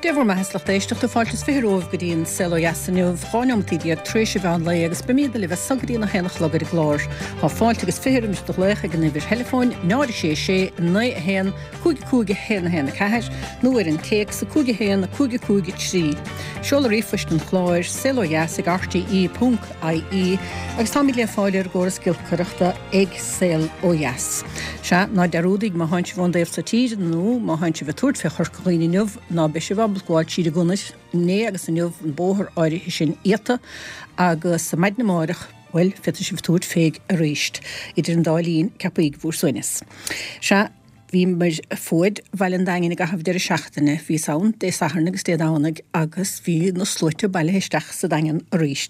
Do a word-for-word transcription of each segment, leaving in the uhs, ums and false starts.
Dia bhur mbeatha is lucht éisteachta fáilte is fiche romhaibh go dtí an Saol Ó Dheas inniu, dhá neomataí déag tar éis an mheán lae agus beimid libh as so go dtí a haon a chlog ar an gclár. Tá fáilte agus fiche roimis do ghlaoch ag an uimhir theileafóin náid a sé sé naoi a haon cúig cúig a haon a haon a ceathair nó ar an téacs a cúig a haon a cúig a cúig a trí. Seoladh ríomhphoist an chláir saol ó dheas ag rte ponc ie agus táimid le fáil ar an gcóras giolcaireachta ag Saol Ó Dheas. Sea, ná dearúdaigí má thánn sibh ón dtaobh so tíre nó má thánn sibh ag tabhairt fé Chorca Dhuibhne inniu ná beidh sibh ábalta gabháil tríd an gconair inné agus inniu an bóthar áirithe sin iata agus maidin amárach bhuel féadfaidh sibh tabhairt fé arís idir an dá linn ceapaigí bhur suaimhneas. Sea, bhíomar fuaid Bhaile an Daingin i gcaitheamh deireadh seachtaine, bhíos ann Dé Sathairn agus Dé Domhnaigh agus bhí na sluaite bailithe isteach sa Daingean arís.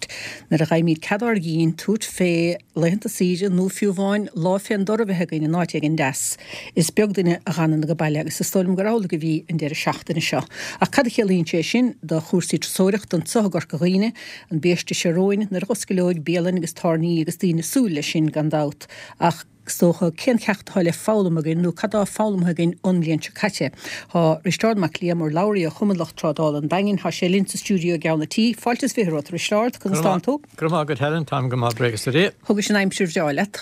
Nuair a gheibhimid cead ár gcinn tabhairt fé laethanta saoire nó fiú amháin lá fén dtor a bheith againn in áit éigin deas, is beag duine a dh'fhanann age baile agus is dóigh liom gur amhlaidh a bhí an deireadh seachtaine seo. Ach cad a chiallaíonn sé sin do chúrsaí turasóireachta anseo i gCorca Dhuibhne, an biaiste seo romhainn nuair a dh'oscaileoidh bialann agus tábhairní agus daoine ag súil leis sin gan dabht ach is dócha cén ceacht atá le foghlaim againn nó cad tá foghlamtha againn ón mbliain seo caite. Tá Risteárd Mac Liam urlabhraí ó Chumann Lucht Trádála an Daingin, tá sé linn sa stiúideo i gceann an tí. Fáilte is fiche romhat, a Risteárd, conas tánn tú? Go raibh maith agat Helen, táim go maith buíochas le Dia. Thugais an aimsir bhreá leat?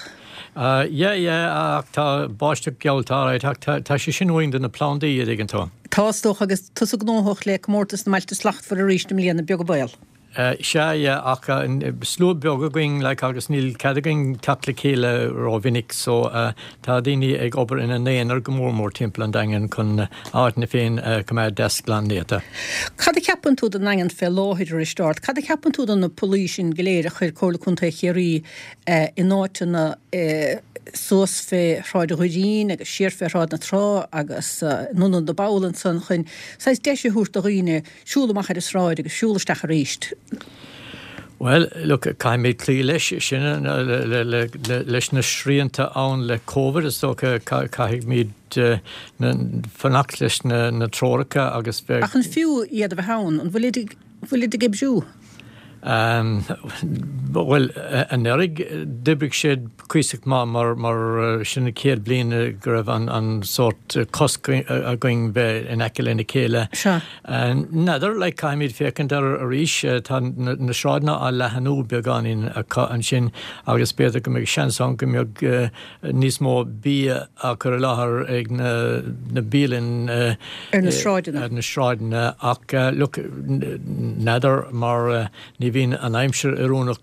Uh, yeah, yeah, ach tá báisteach geallta alright, ach tá, tá sé sin uainn do na plandaí a dtuigeann tú. Tá is dócha agus tusa gnóthach le comórtas na mBailte Slachtmhara arís i mbliana beag an baol. Uh, sea yeah, ach uh, slua beag againn like, agus níl cead againn teacht le chéile rómhinic so uh, tá daoine ag obair ina n-aonar go mór mór timpeall an Daingin chun áit na féin uh, coimeád deas glan néata. Cad a cheapann tú den Daingean fé láthair a Risteárd? Cad a cheapann tú de na pollaí sin go léir a chuir Comhairle Contae Chiarraí uh, in áiteanna uh, suas fé Shráid Dhoirín agus siar fé Shráid na Trá agus uh, anonn na ball ansan chun saghas deis a thabhairt do dhaoine siúl amach ar an sráid agus siúl isteach arís. Well, look, caithfimid cloí leis sin le, le, le, le, leis na srianta ann le COVID is dócha caithfimid uh, fanacht leis na, na treoracha agus bheith Ach an fiú iad a bheith ann, an bhfuil bhfuil ag oibriú? Um, well anuraidh d'oibrigh siad cuíosach maith mar mar sin an chéad bhliain go raibh an, an sórt cosc againn bheith in aice lena chéile. Sea. N'fheadar le caithfimid féachaint ar arís tá na, na sráideanna á leathnú beagáinín ansin agus b'fhéidir go mbeidh seans ann go mbeidh uh, níos mó bia á chur i láthair ag na, na bialanna uh, Ar na sráideanna. Ar na sráideanna ach uh, look, n'fheadar mar uh, ní bhíonn an aimsir oiriúnach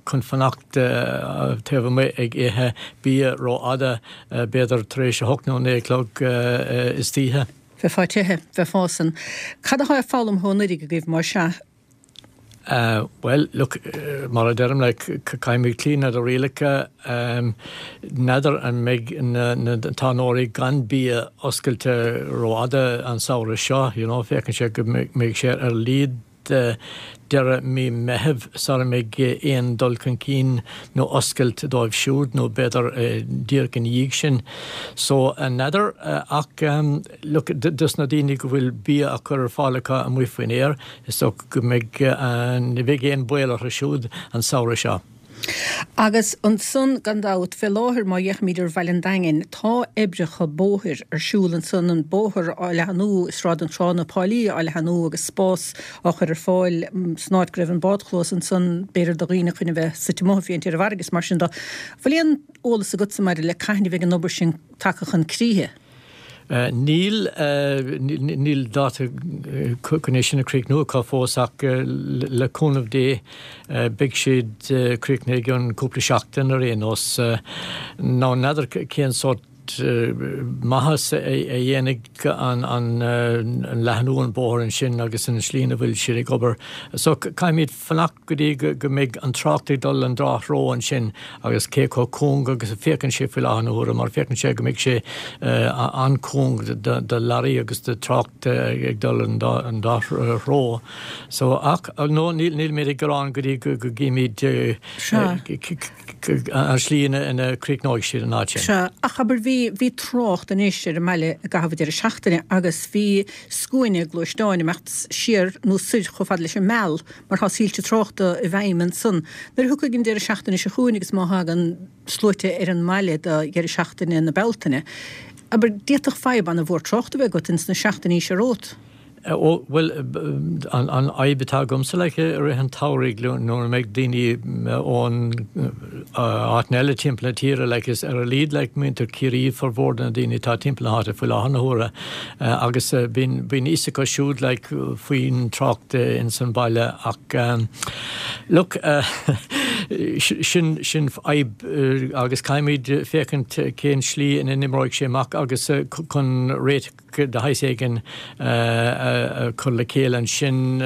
chun fanacht uh, taobh amuigh ag ithe bia rófhada uh, b'fhéidir tar éis a hocht nó naoi a chlog uh, istoíche. Bheifeá tite, bheifeá san. Cad atá foghlamtha ó anuraidh agaibh mar sea? Uh, well, look, uh, mar a deirim le caithfimid cloí leis na rialacha um, n'fheadar an mbeidh na, na tábhairní gan bia oscailte rófhada an samhradh seo, you know, féachann sé go mbeidh sé ar a laghad uh, deireadh mí Mheithimh sara mbeidh aon dul chun cinn nó oscailt dóibh siúd nó b'fhéidir uh, díreach ina dhiaidh sin. So n'fheadar uh, ach um, look, dus na daoine go bhfuil bia á chur ar fáil acu amuigh faoin aer is so go mbeidh uh, ní bheidh aon baol orthu siúd an samhradh seo. Agus ansan gan dabht fé láthair má fhéachaimid ar Bhaile an Daingin tá oibreacha bóthair ar siúl ansan an bóthar á leathnú Sráid na Trá na Páilí á leathnú agus spás á chur ar fáil san áit go raibh an bádchlós ansan b'fhéidir do dhaoine chun a bheith suite amuigh féint ar an bhfarraige mar sin de. Bhfuil aon eolas agatsa maidir le cathain a bheidh an obair sin tagtha chun críche. Uh, níl uh, níl dáta chun é sin a chríochnú acu fós ach uh, le cúnamh Dé uh, beidh siad uh, críochnaithe i gceann cúpla seachtain ar aon nós uh, ná n'fheadar cén sórt maitheas a dhéanfaidh an, an, an leathnú an bóthar ansin agus an slí a bhfuil siad ag obair. So caithfimid fanacht go dtí go, go mbeidh an trácht ag dul an dá threo ansin agus cé chomh cúng agus a féachann sé faoi láthair na huaire mar féachann sé go mbeidh sé uh, an-chúng do, do leoraí agus do trácht uh, ag dul an dá, an dá threo. So ach no, níl, níl mé ag gearán go dtí go, go gcímid uh, an slí ina, ina críochnóidh siad an áit sin. Sea, ach abair bhí bhí trácht anois ar an mbaile i gcaitheamh deireadh seachtaine agus bhí scuaine gluaisteáin ag imeacht siar nó soir chomh fada leis an Meal mar tá soilse tráchta i bhfeidhm ansan. Nuair a thiocfaidh an deireadh seachtaine seo chugainn agus má thagann sluaite ar an mbaile do dheireadh seachtaine na Bealtaine. Abair d'fhéadfadh fadhb an-mhór tráchta a bheith agat ins na seachtainí seo romhat. Ó, bhuel, an fhadhb atá agamsa like i rith an tsamhraidh nuair a mbeidh daoine ón áiteanna eile timpeall na tíre like is ar a laghad like muintir Chiarraí formhór de na daoine atá timpeall na háite faoi láthair na huaire agus bíonn bíonn fhios acu siúd like faoin trácht ins an baile ach look sin sin fadhb agus caithfimid féachaint cén slí ina n-imreoidh sé amach agus chun réiteach de shaghas éigin a chur le chéile ansin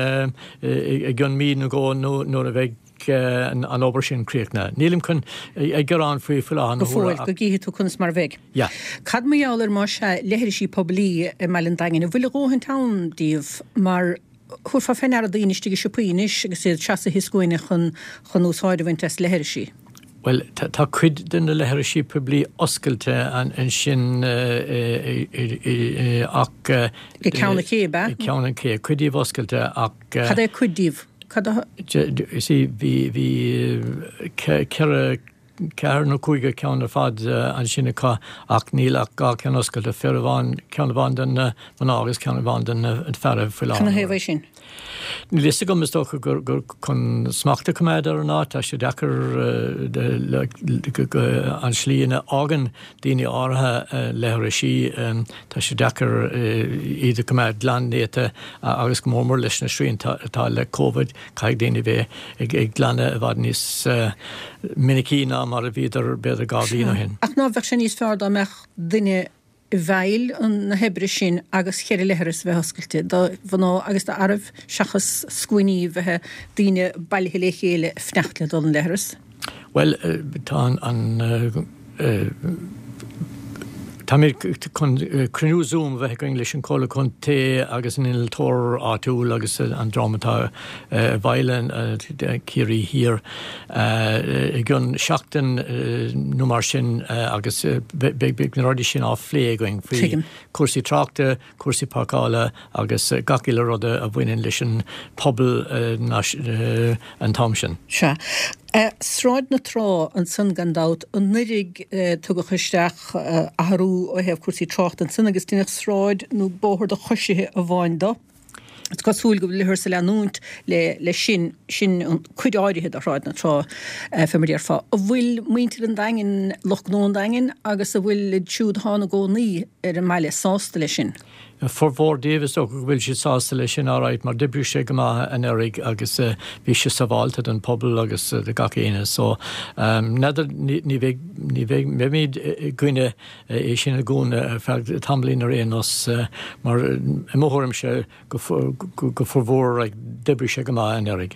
i gcionn mí nó dhó nuair a bheidh an obair sin críochnaithe. Nílim chun ag gearán faoi faoi láthair na Go fóill, go gcífidh tú conas mar a bheidh. Yeah. Cad mar gheall ar más ea leithrisí poiblí i mBaile an Daingin, an bhfuil a dhóthaint ann díobh mar thabharfá fé ndeara daoine istigh i siopaí anois agus iad seasaithe i scuaine chun chun úsáid a bhaint as leithrisí? Bhuel, tá cuid de na leithrisí poiblí oscailte ansin ach. Ag Ceann an Ché, ab ea? Ag Ceann an Ché, cuid díobh oscailte ach. Cad é cuid díobh? Cad a. You see, bhí, bhí ceithre, ceathair nó cúigear ceann ar fad ansin acu ach níl ach dhá ceann oscailte, fear amháin, ceann amháin do na mná agus ceann amháin do na feara faoi láthair. Cad ina thaobh é sin? Níl fhios agam, is dócha gur chun smacht a choimeád ar an áit, tá sé deacair an slí ina fhágann daoine áirithe leithrisí, tá sé deacair iad a choimeád glan néata agus go mór mór leis na srianta atá le Covid, caithfidh daoine bheith ag glanadh i bhfad níos minicí ná mar a bhíodar b'fhéidir dhá bhliain ó shin. Ach ná bheadh sé níos fearr dá mbeadh duine i bhfeighil na hoibre sin agus cheithre leithreas a bheith oscailte do mhná agus d'fhearaibh seachas scuainí bheith daoine bailithe le chéile ag fanacht le dul 'on leithreas? Bhuel, tá an, táimid chun cruinniú Zoom a bheith againn leis an Chomhairle Contae agus an innealtóir áitiúil agus an dream atá i bhfeighil Ciarraí Thiar i gcionn seachtain nó mar sin agus beidh na rudaí sin á phlé againn faoi chúrsaí tráchta, cúrsaí páirceála agus gach uile rud a bhaineann leis an pobal an t-am sin. Sea. Sráid na Trá ansan gan dabht, anuraidh tugadh isteach athrú ó thaobh cúrsaí tráchta ansan agus deineadh sráid nó bóthar do choisithe amháin do. Is cosúil go bhfuilthear ag leanúint le sin, sin an cuid áirithe de Shráid na Trá, fé mar a déarfá. An bhfuil muintir an Daingin, lucht gnó an Daingin agus an bhfuil iad siúd atá ina gcónaí ar an mbaile sásta leis sin? Formhór díobh is dócha go bhfuil siad sásta leis sin alright mar d'oibrigh sé go maith anuraidh agus bhí sé sábháilte don pobal agus do gach éinne so n'fheadar ní bheidh ní bheidh beimid i gcoinne é sin a dhúnadh ar feadh tamaillín ar aon nós mar i mo thuairimse go go formhór like d'oibrigh sé go maith anuraidh.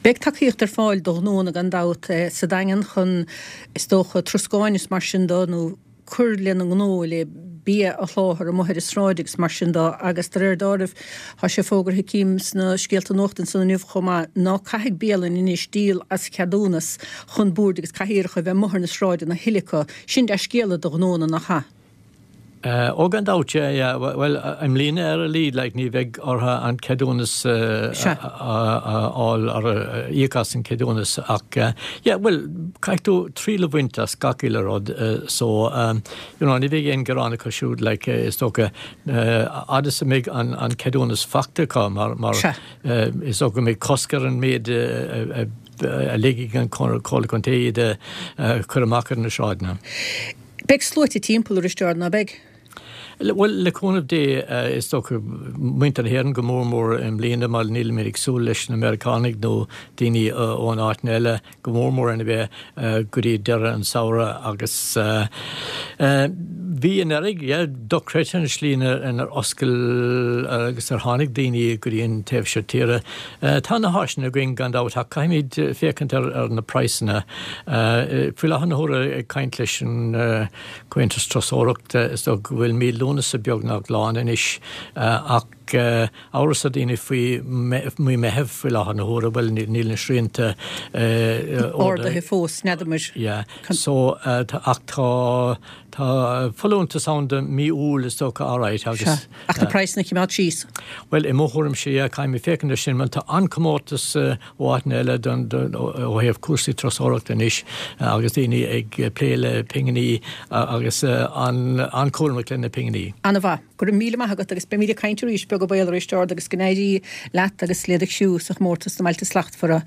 Beidh tacaíocht ar fáil do ghnóanna gan dabht sa Daingean chun is dócha troscáin is mar sin do nó cur lena ngnó le bia a sholáthar amuigh ar an sráid agus mar sin de agus de réir dealraimh tá sé fógartha cím sna scéalta nuachta ansan inniu chomh maith ná caithfidh bialanna anois díol as ceadúnas chun boird agus cathaoireacha a bheith amuigh ar na sráideanna a thuilleadh acu. Sin dea-scéala do ghnóanna nach ea? Ó gan dabht, yeah, yeah. Bhuel, i mbliana ar a laghad, like, ní bheidh orthu an ceadúnas a fháil, íoc as an ceadúnas ach, yeah, bhuel, caithfidh tú triail a bhaint as gach uile rud so, you know, ní bheidh aon ghearán acu siúd, like, is dócha, fhad is a mbeidh an an ceadúnas faighte acu mar, mar is dócha go mbeidh cosc ar an méid a a ligfidh an Comhairle Contae iad a chur amach ar na sráideanna. Beidh sluaite timpeall a Risteaird, ná beidh? Bhuel, le cúnamh Dé, is dócha, muintir na hÉireann go mór mór i mbliana mar nílimid ag súil leis na Meiriceánaigh nó daoine ón áiteanna eile go mór mór ina bheith go dtí deireadh an samhradh agus bhí anuraidh, yeah, dochreidte an slí inar oscail agus ar tháinig daoine go dtí an taobh seo tíre. Tá na háiseanna againn gan dabht ach caithfimid féachaint ar na praghsanna. Faoi láthair na huaire ag caint leis an Comhaontas Turasóireachta, is dócha go bhfuil mí Lúnasa beagnach lán anois ach amhras ar daoine faoi mí Meitheamh faoi láthair na huaire, bhuel níl na srianta ardaithe fós, n'fheadar. Yeah, so ach tá tá folúntas ann do mí Iúil is dócha alright agus. Sea, ach na praghsanna a choimeád síos. Bhuel i mo thuairimse yeah, caithfidh mé féachaint air sin mar tá an-chomórtas ó áiteanna eile don ó thaobh cúrsaí turasóireachta anois agus daoine ag plé le pinginí agus an-chúramach lena pinginí. Ana-mhaith. Go raibh míle maith agat agus beimid ag caint arís beagán go baol, a Risteárd, agus go n-éirí leat agus le do chriú sa chomórtas na mBailte Slachtmhara.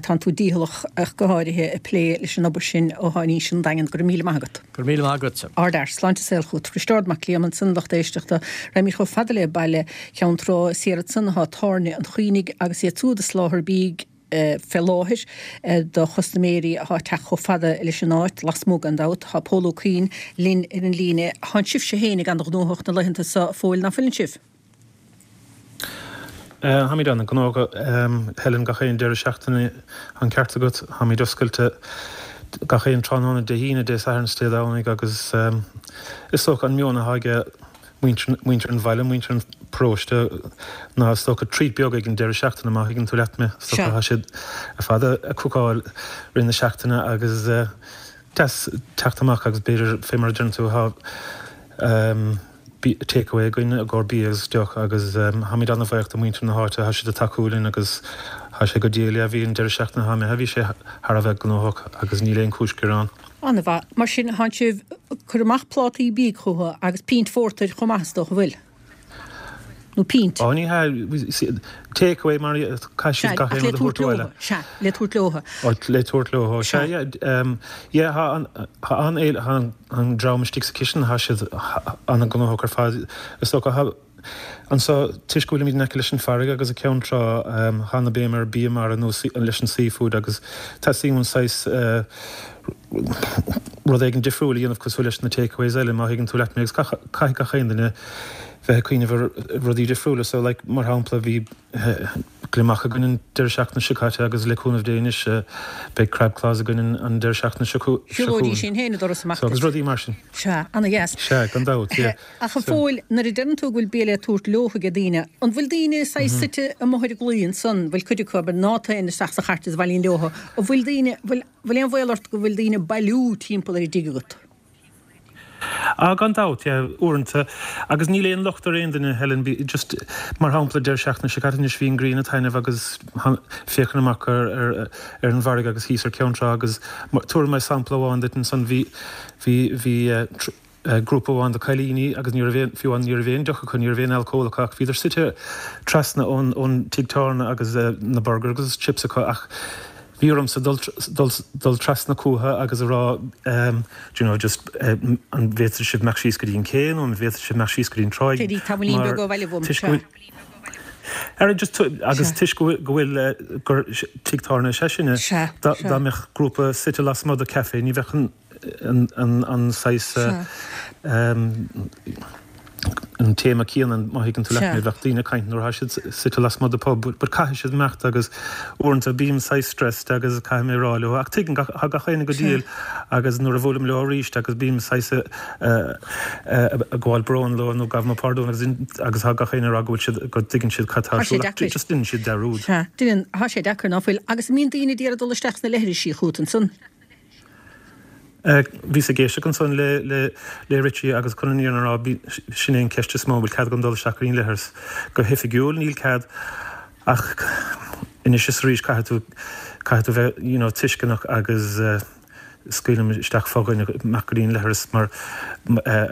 Tánn tú dícheallach ach go háirithe ag plé leis an obair sin ó thá in aois an Daingean. Go raibh míle maith agat. Go raibh míle maith agatsa. Ardfhear. Sláinte is saol chugat. Risteárd Mac Liam ansan, lucht éisteachta. Raghaimid chomh fada le baile Cheann Trá, is thiar ansan atá Tábhairne an Chaoinigh agus iad siúd ag soláthar bídh fé láthair do chustaiméirí atá ag teacht chomh fada leis an áit, lasmuigh gan dabht. Tá Pól Ó Cuinn linn ar an líne. Tánn sibhse fhéinig an-ghnóthach na laethanta seo, a Phóil, ná fuileann sibh? Táimid an-ghnóthach, Helen, gach aon deireadh seachtaine, an ceart agat. Táimid oscailte gach aon tráthnóna Dé hAoine, Dé Sathairn is Dé Domhnaigh agus is dócha an meon atá aige muintir an bhaile, muintir an pharóiste ná is dócha treat beag ag an deireadh seachtaine má thuigeann tú leat mé. Is dócha tá siad ar fad ag cookáil rith na seachtaine agus deas teacht amach agus b'fhéidir fé mar a deireann tú tá take away againn i gcomhair bia agus deoch agus táimid an-bhuíoch do mhuintir na háite, tá siad ag tacú linn agus tá sé go diail. Bhí an deireadh seachtaine atá imithe, bhí sé thar a bheith gnóthach agus níl aon chúis gearáin. An-mhaith. Mar sin, tánn sibh ag cur amach plátaí bídh chucu agus pínt phórtair chomh maith is dócha, bhfuil? Nó pínt? Ó, ní hea, take away mar caithfidh siad gach aon rud a thabhairt abhaile. Sea, le tabhairt leotha. Ó, le tabhairt leotha, sea, yeah. Yeah, tá an, tá an, tá an dream istigh sa chistin, tá siad an-ghnóthach ar fad. Is dócha, tá, Anseo, toisc go bhfuilimid in aice leis an bhfarraige agus an ceann trá, tá ana béim ar bia mara nó leis an seafood agus teastaíonn uainn saghas rud éigin difriúil a dhéanamh cosúil leis na takeaways eile, má thuigeann tú leat mé, agus caithfidh gach aon duine bheith ag cuimhneamh ar rudaí difriúla. So like, mar shampla, bhí gliomach againn an deireadh seachtaine seo caite agus le cúnamh Dé anois beidh crab claws againn an deireadh seachtaine seo chugainn. Shiúlóidís sin féin an doras amach So agus rudaí mar sin. Sea, ana-dheas. Sea, gan dabht, yeah. Ach a Phóil, nuair a deireann tú go bhfuil bia le tabhairt leo ag daoine, an bhfuil daoine saghas suite amuigh ar an gclaí ansan, bhfuil cuid acu, abair, ná téann isteach sa chairt is a bhailíonn leo, an bhfuil daoine, bhfuil, bhfuil aon bhaol ort go bhfuil daoine ag bailiú timpeall ar an dtigh agat? Ah, gan dabht, yeah, uaireanta. Agus níl aon locht ar aon duine, Helen, bí, just, mar shampla, deireadh seachtaine seo caite anois bhí an ghrian ag taitneamh agus féachaint amach ar, ar, ar an bhfarraige agus thíos ar Ceann Trá agus tabharfaidh mé sampla amháin duit ansan, bhí, bhí, bhí eh, eh, grúpa amháin de cailíní agus ní raibh aon, fiú amháin ní raibh aon deoch acu, ní raibh aon alcól acu ach bhíodar suite trasna ón, ón tigh tábhairne agus eh, na burger agus chips acu ach Bhí ormsa dul dul trasna chucu agus a rá do you know just an bhféadfadh sibh imeacht síos go dtí an cé nó an bhféadfadh sibh imeacht síos go dtí an tráigh Téigh tamaillín beag ó bhaile uaim, sea. Ar just agus toisc go bhfuil gur tigh tábhairne is ea sinne, dá mbeadh grúpa suite lasmuigh de café ní bheadh an an saghas an téama céanna, má thuigeann tú leat mé, bheadh daoine ag caint nuair atá siad suite lasmuigh de pub, but caithfidh siad imeacht agus uaireanta bím saghas stressed agus caithfidh mé a rá leo, ach tuigeann gach, tá gach éinne go diail agus nuair a bhuailim leo arís agus bím saghas ag gabháil bróin leo nó gabh mo pardún agus agus tá gach éinne ag rá go bhfuil siad, go dtuigeann siad cad tá ar siúl ach just déanann siad dearúd. Sea, déanann, tá sé deacair, ná fuil? Agus an mbíonn daoine ag iarraidh dul isteach sna leithrisí chugat ansan? Bhíos ag éisteacht ansan le le Richie agus chun an fhírinne a rá, sin é an ceist is mó, an bhfuil cead agam dul isteach go dtí an leithreas? Go hoifigiúil níl cead ach anois is arís caithfidh tú, caithfidh tú bheith you know tuisceanach agus scaoilim isteach fo-dhuine amach go dtí an leithreas mar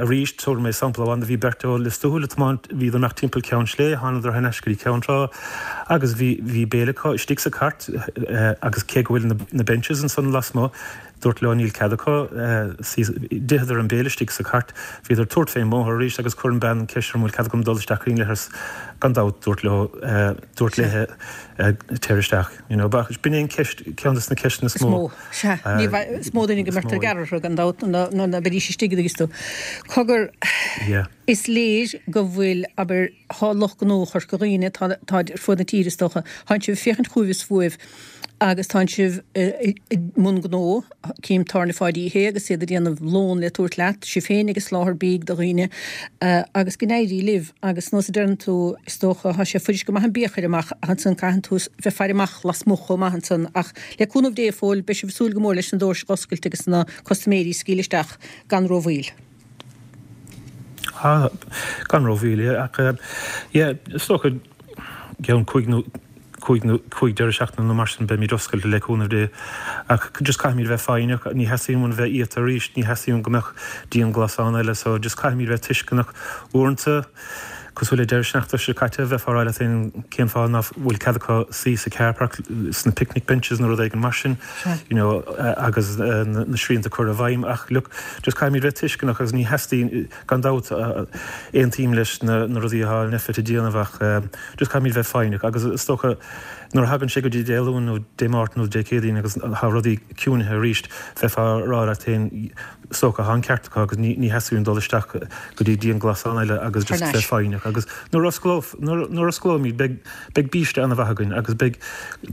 arís tabharfaidh mé sampla amháin de bhí beirt ó Lios Tuathail ag tiomáint, bhíodar ag imeacht timpeall Ceann Sléibhe, thánadar thar n-ais go dtí Ceann Trá agus bhí, bhí béile acu istigh sa chairt agus cé go bhfuil na, na benches ansan lasmuigh, Dúrt leo níl cead acu suí. D'itheadar an béile istigh sa chairt. Bhíodar ag tabhairt fén mbóthar arís agus chuir an bean ceist orm an bhfuil cead agam dul isteach go dtí an leithreas. Gan dabht, dúrt leo, dúrt léithe téir isteach. You know, but b'in é an ceist, ceann des na ceisteanna is mó. Is mó. Sea. Ní bheidh, is mó duine go mbeirtear gearradh orthu gan dabht ná ná beidís istigh i dtuigeann tú. Cogar, Yeah. is léir go bhfuil, abair, thá lucht gnó Chorca Dhuibhne, tá, tá ar fud na tíre is dócha, thánn sibh ag féachaint chugaibh is fúibh agus tánn sibh i mbun gnó, cím Tábhairne Pháidí Uí Shé agus iad ag déanamh lón le tabhairt leat, sibh féin ag soláthar bídh do dhaoine agus go n-éirí libh agus nós a deireann tú, is dócha, tá sé fuirist go maith an bia a chur amach ach ansan caitheann tú bheith ag faire amach lasmuigh chomh maith ansan ach le cúnamh Dé a Phóil, beidh sibh ag súil go mór leis na doirse a dh'oscailt agus na custaiméirí a scaoileadh isteach gan rómhoill. Ah, gan rómhoill, yeah, ach yeah, is dócha i gceann cúig nó cúig nó cúig deireadh seachtaine nó mar sin beimid oscailte le cúnamh Dé. Ach just caithfimid bheith foighneach, ní theastaíonn uainn bheith iata arís, ní theastaíonn go mbeadh dianghlasáil eile so just caithfimid bheith tuisceanach. Uaireanta Cosúil le deireadh seachtaine seo caite, bheifeá ag rá leat féin cén fáth nach bhfuil cead acu suí sa car park, sna picnic benches nó rud éigin mar sin, you know, agus na srianta curtha i bhfeidhm. Ach look, just caithfimid bheith tuisceanach agus ní theastaíonn, gan dabht, aontaím leis na rudaí atá Nphet ag déanamh ach just caithfimid bheith foighneach agus is dócha nuair a thagann sé go dtí Dé Luain nó Dé Máirt nó Dé Céadaoin agus tá rudaí ciúnaithe arís, bheifeá ag rá leat féin, is dócha, tá an ceart acu agus ní theastaíonn dul isteach go dtí dianghlasáil eile agus just bheith foighneach agus nuair a osclóimid beidh beidh biaiste an-mhaith againn agus beidh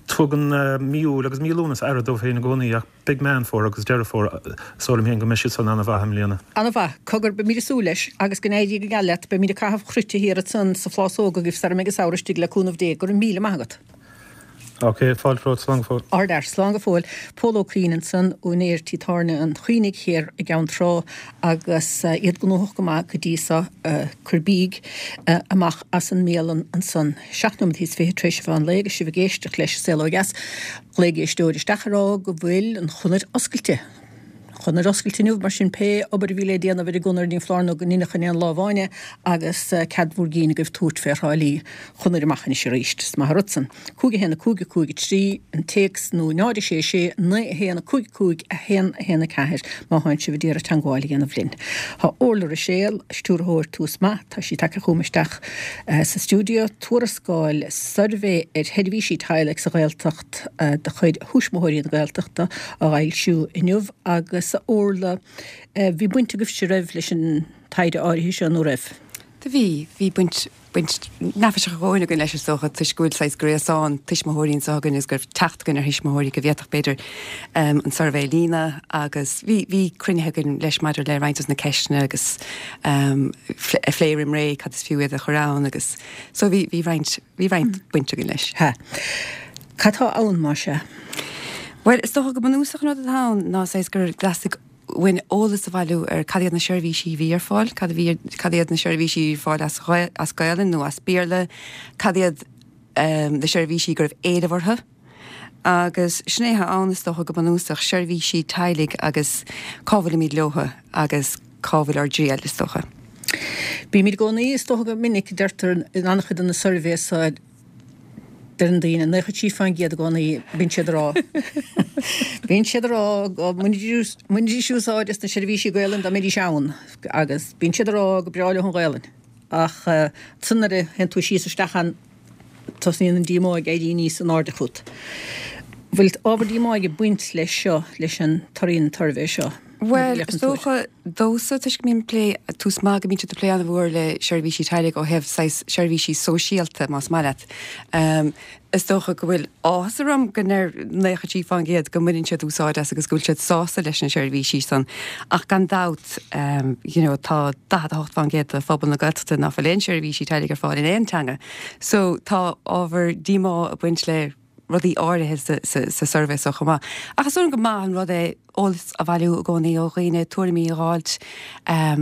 tugann mí Iúil agus mí Lúnasa aire dóibh féin i gcónaí ach beidh Meán Fómhair agus Deireadh Fómhair is dóigh liom féin go mbeidh siad san an-mhaith i mbliana. An-mhaith. Cogar, beimid ag súil leis agus go n-éirí go geal leat. Beimid ag caitheamh cruite thiar ansan sa phlásóg agaibh sara mbeidh an samhradh istigh le cúnamh Dé. Go raibh míle maith agat. Ok, fáilte romhat, slán go fóill. Ardfhear, slán go fóill. Pól Ó Cuinn ansan, úinéir tí tábhairne an Choinnigh thiar i gCeann Trá agus iad gnóthach go maith go dtí so, cur bídh amach as an mbialann ansan. Seacht nóiméad is fiche tar éis an mheán lae agus sibh ag éisteacht leis An Saol Ó Dheas. Ghlaoigh éisteoir isteach ag rá go bhfuil an chonair oscailte. Conair oscailte inniu, mar sin pé obair a bhí le déanamh ar an gconair ní foláir nó go ndeineadh in aon lá amháin é agus cead bhur gcinn agaibh tabhairt fé Thrá Lí. Chonair amach anois arís. Is maith an rud san. Cúig a haon a cúig a cúig a trí an téacs nó náid a sé sé naoi a haon a cúig cúig a haon a haon a ceathair má thánn sibh ag iarraidh teangmháil a dhéanamh linn. Tá Orla Ruiséal, stiúrthóir Tús Maith, tá sí tagtha chugam isteach sa stiúideo. Tuarascáil suirbhé ar sheirbhísí teaghlaigh sa Ghaeltacht de chuid Thuismitheoirí na Gaeltachta á fhoilsiú inniu agus a Orla, bhí baint agaibhse raibh leis an taighde áirithe seo nó raibh? Do bhí, bhí baint, baint neafaiseach a dhóthain againn leis is dócha toisc go bhfuil saghas gréasán tuismitheoirí anseo againn agus go raibh teacht againn ar thuismitheoirí go bhféadfadh b'fhéidir an suirbhé a líonadh agus bhí, bhí cruinnithe againn leis maidir le roinnt dos na ceisteanna agus a phlé roim ré cad is fiú iad a chur ann agus so bhí, bhí roinnt, bhí roinnt baint againn leis. Ha. Cad tá ann más ea? Bhuel, is dócha go bunúsach an rud atá ann ná saghas gur theastaigh uainn eolas a bhailiú ar cad iad na seirbhísí a bhí ar fáil, cad a bhí, cad iad na seirbhísí a bhí ar fáil as, as Gaelainn nó as Béarla, cad iad na seirbhísí go raibh éileamh orthu. Agus sin é atá ann is dócha go bunúsach, seirbhísí teaghlaigh agus cá bhfuilimid leotha agus cá bhfuil ár dtriall is dócha. Bímid i gcónaí, is dócha go minic, deirtear in an-chuid de na suirbhéanna so, Deireann daoine, naocha trí faoin gcéad i gcónaí, bíonn siad ag rá, bíonn siad ag rá go mbainfidís úsáid as na seirbhísí Gaelainn dá mbeidís ann agus bíonn siad ag rá go breá leo an Ghaelainn ach ansan nuair a théann tú síos isteach ann tosnaíonn an díomá ag éirí níos in airde chút. Bhfuil ábhar díomá ag baint leis seo, leis an torthaí an tsuirbhé seo? Bhuel, is dócha domhsa, toisc go mbím ag plé, Tús Maith, go mbíonn siad ag plé an-mhór le seirbhísí teaghlaigh ó thaobh saghas seirbhísí sóisialta, más maith leat. Is dócha go bhfuil áthas orm go ndeir naocha trí fán gcéad go mbaineann siad úsáid as agus go bhfuil siad sásta leis na seirbhísí san. Ach gan dabht, you know, tá daichead a hocht fán gcéad de phobal na Gaeltachta nach bhfuil aon seirbhísí teaghlaigh ar fáil in aon teanga. So tá ábhar díomá ag baint le rudaí áirithe sa suirbhé seo chomh maith. Ach is dóigh liom go maith an rud é eolas a bhailiú i gcónaí ó dhaoine, tuairimí a dh'fháilt,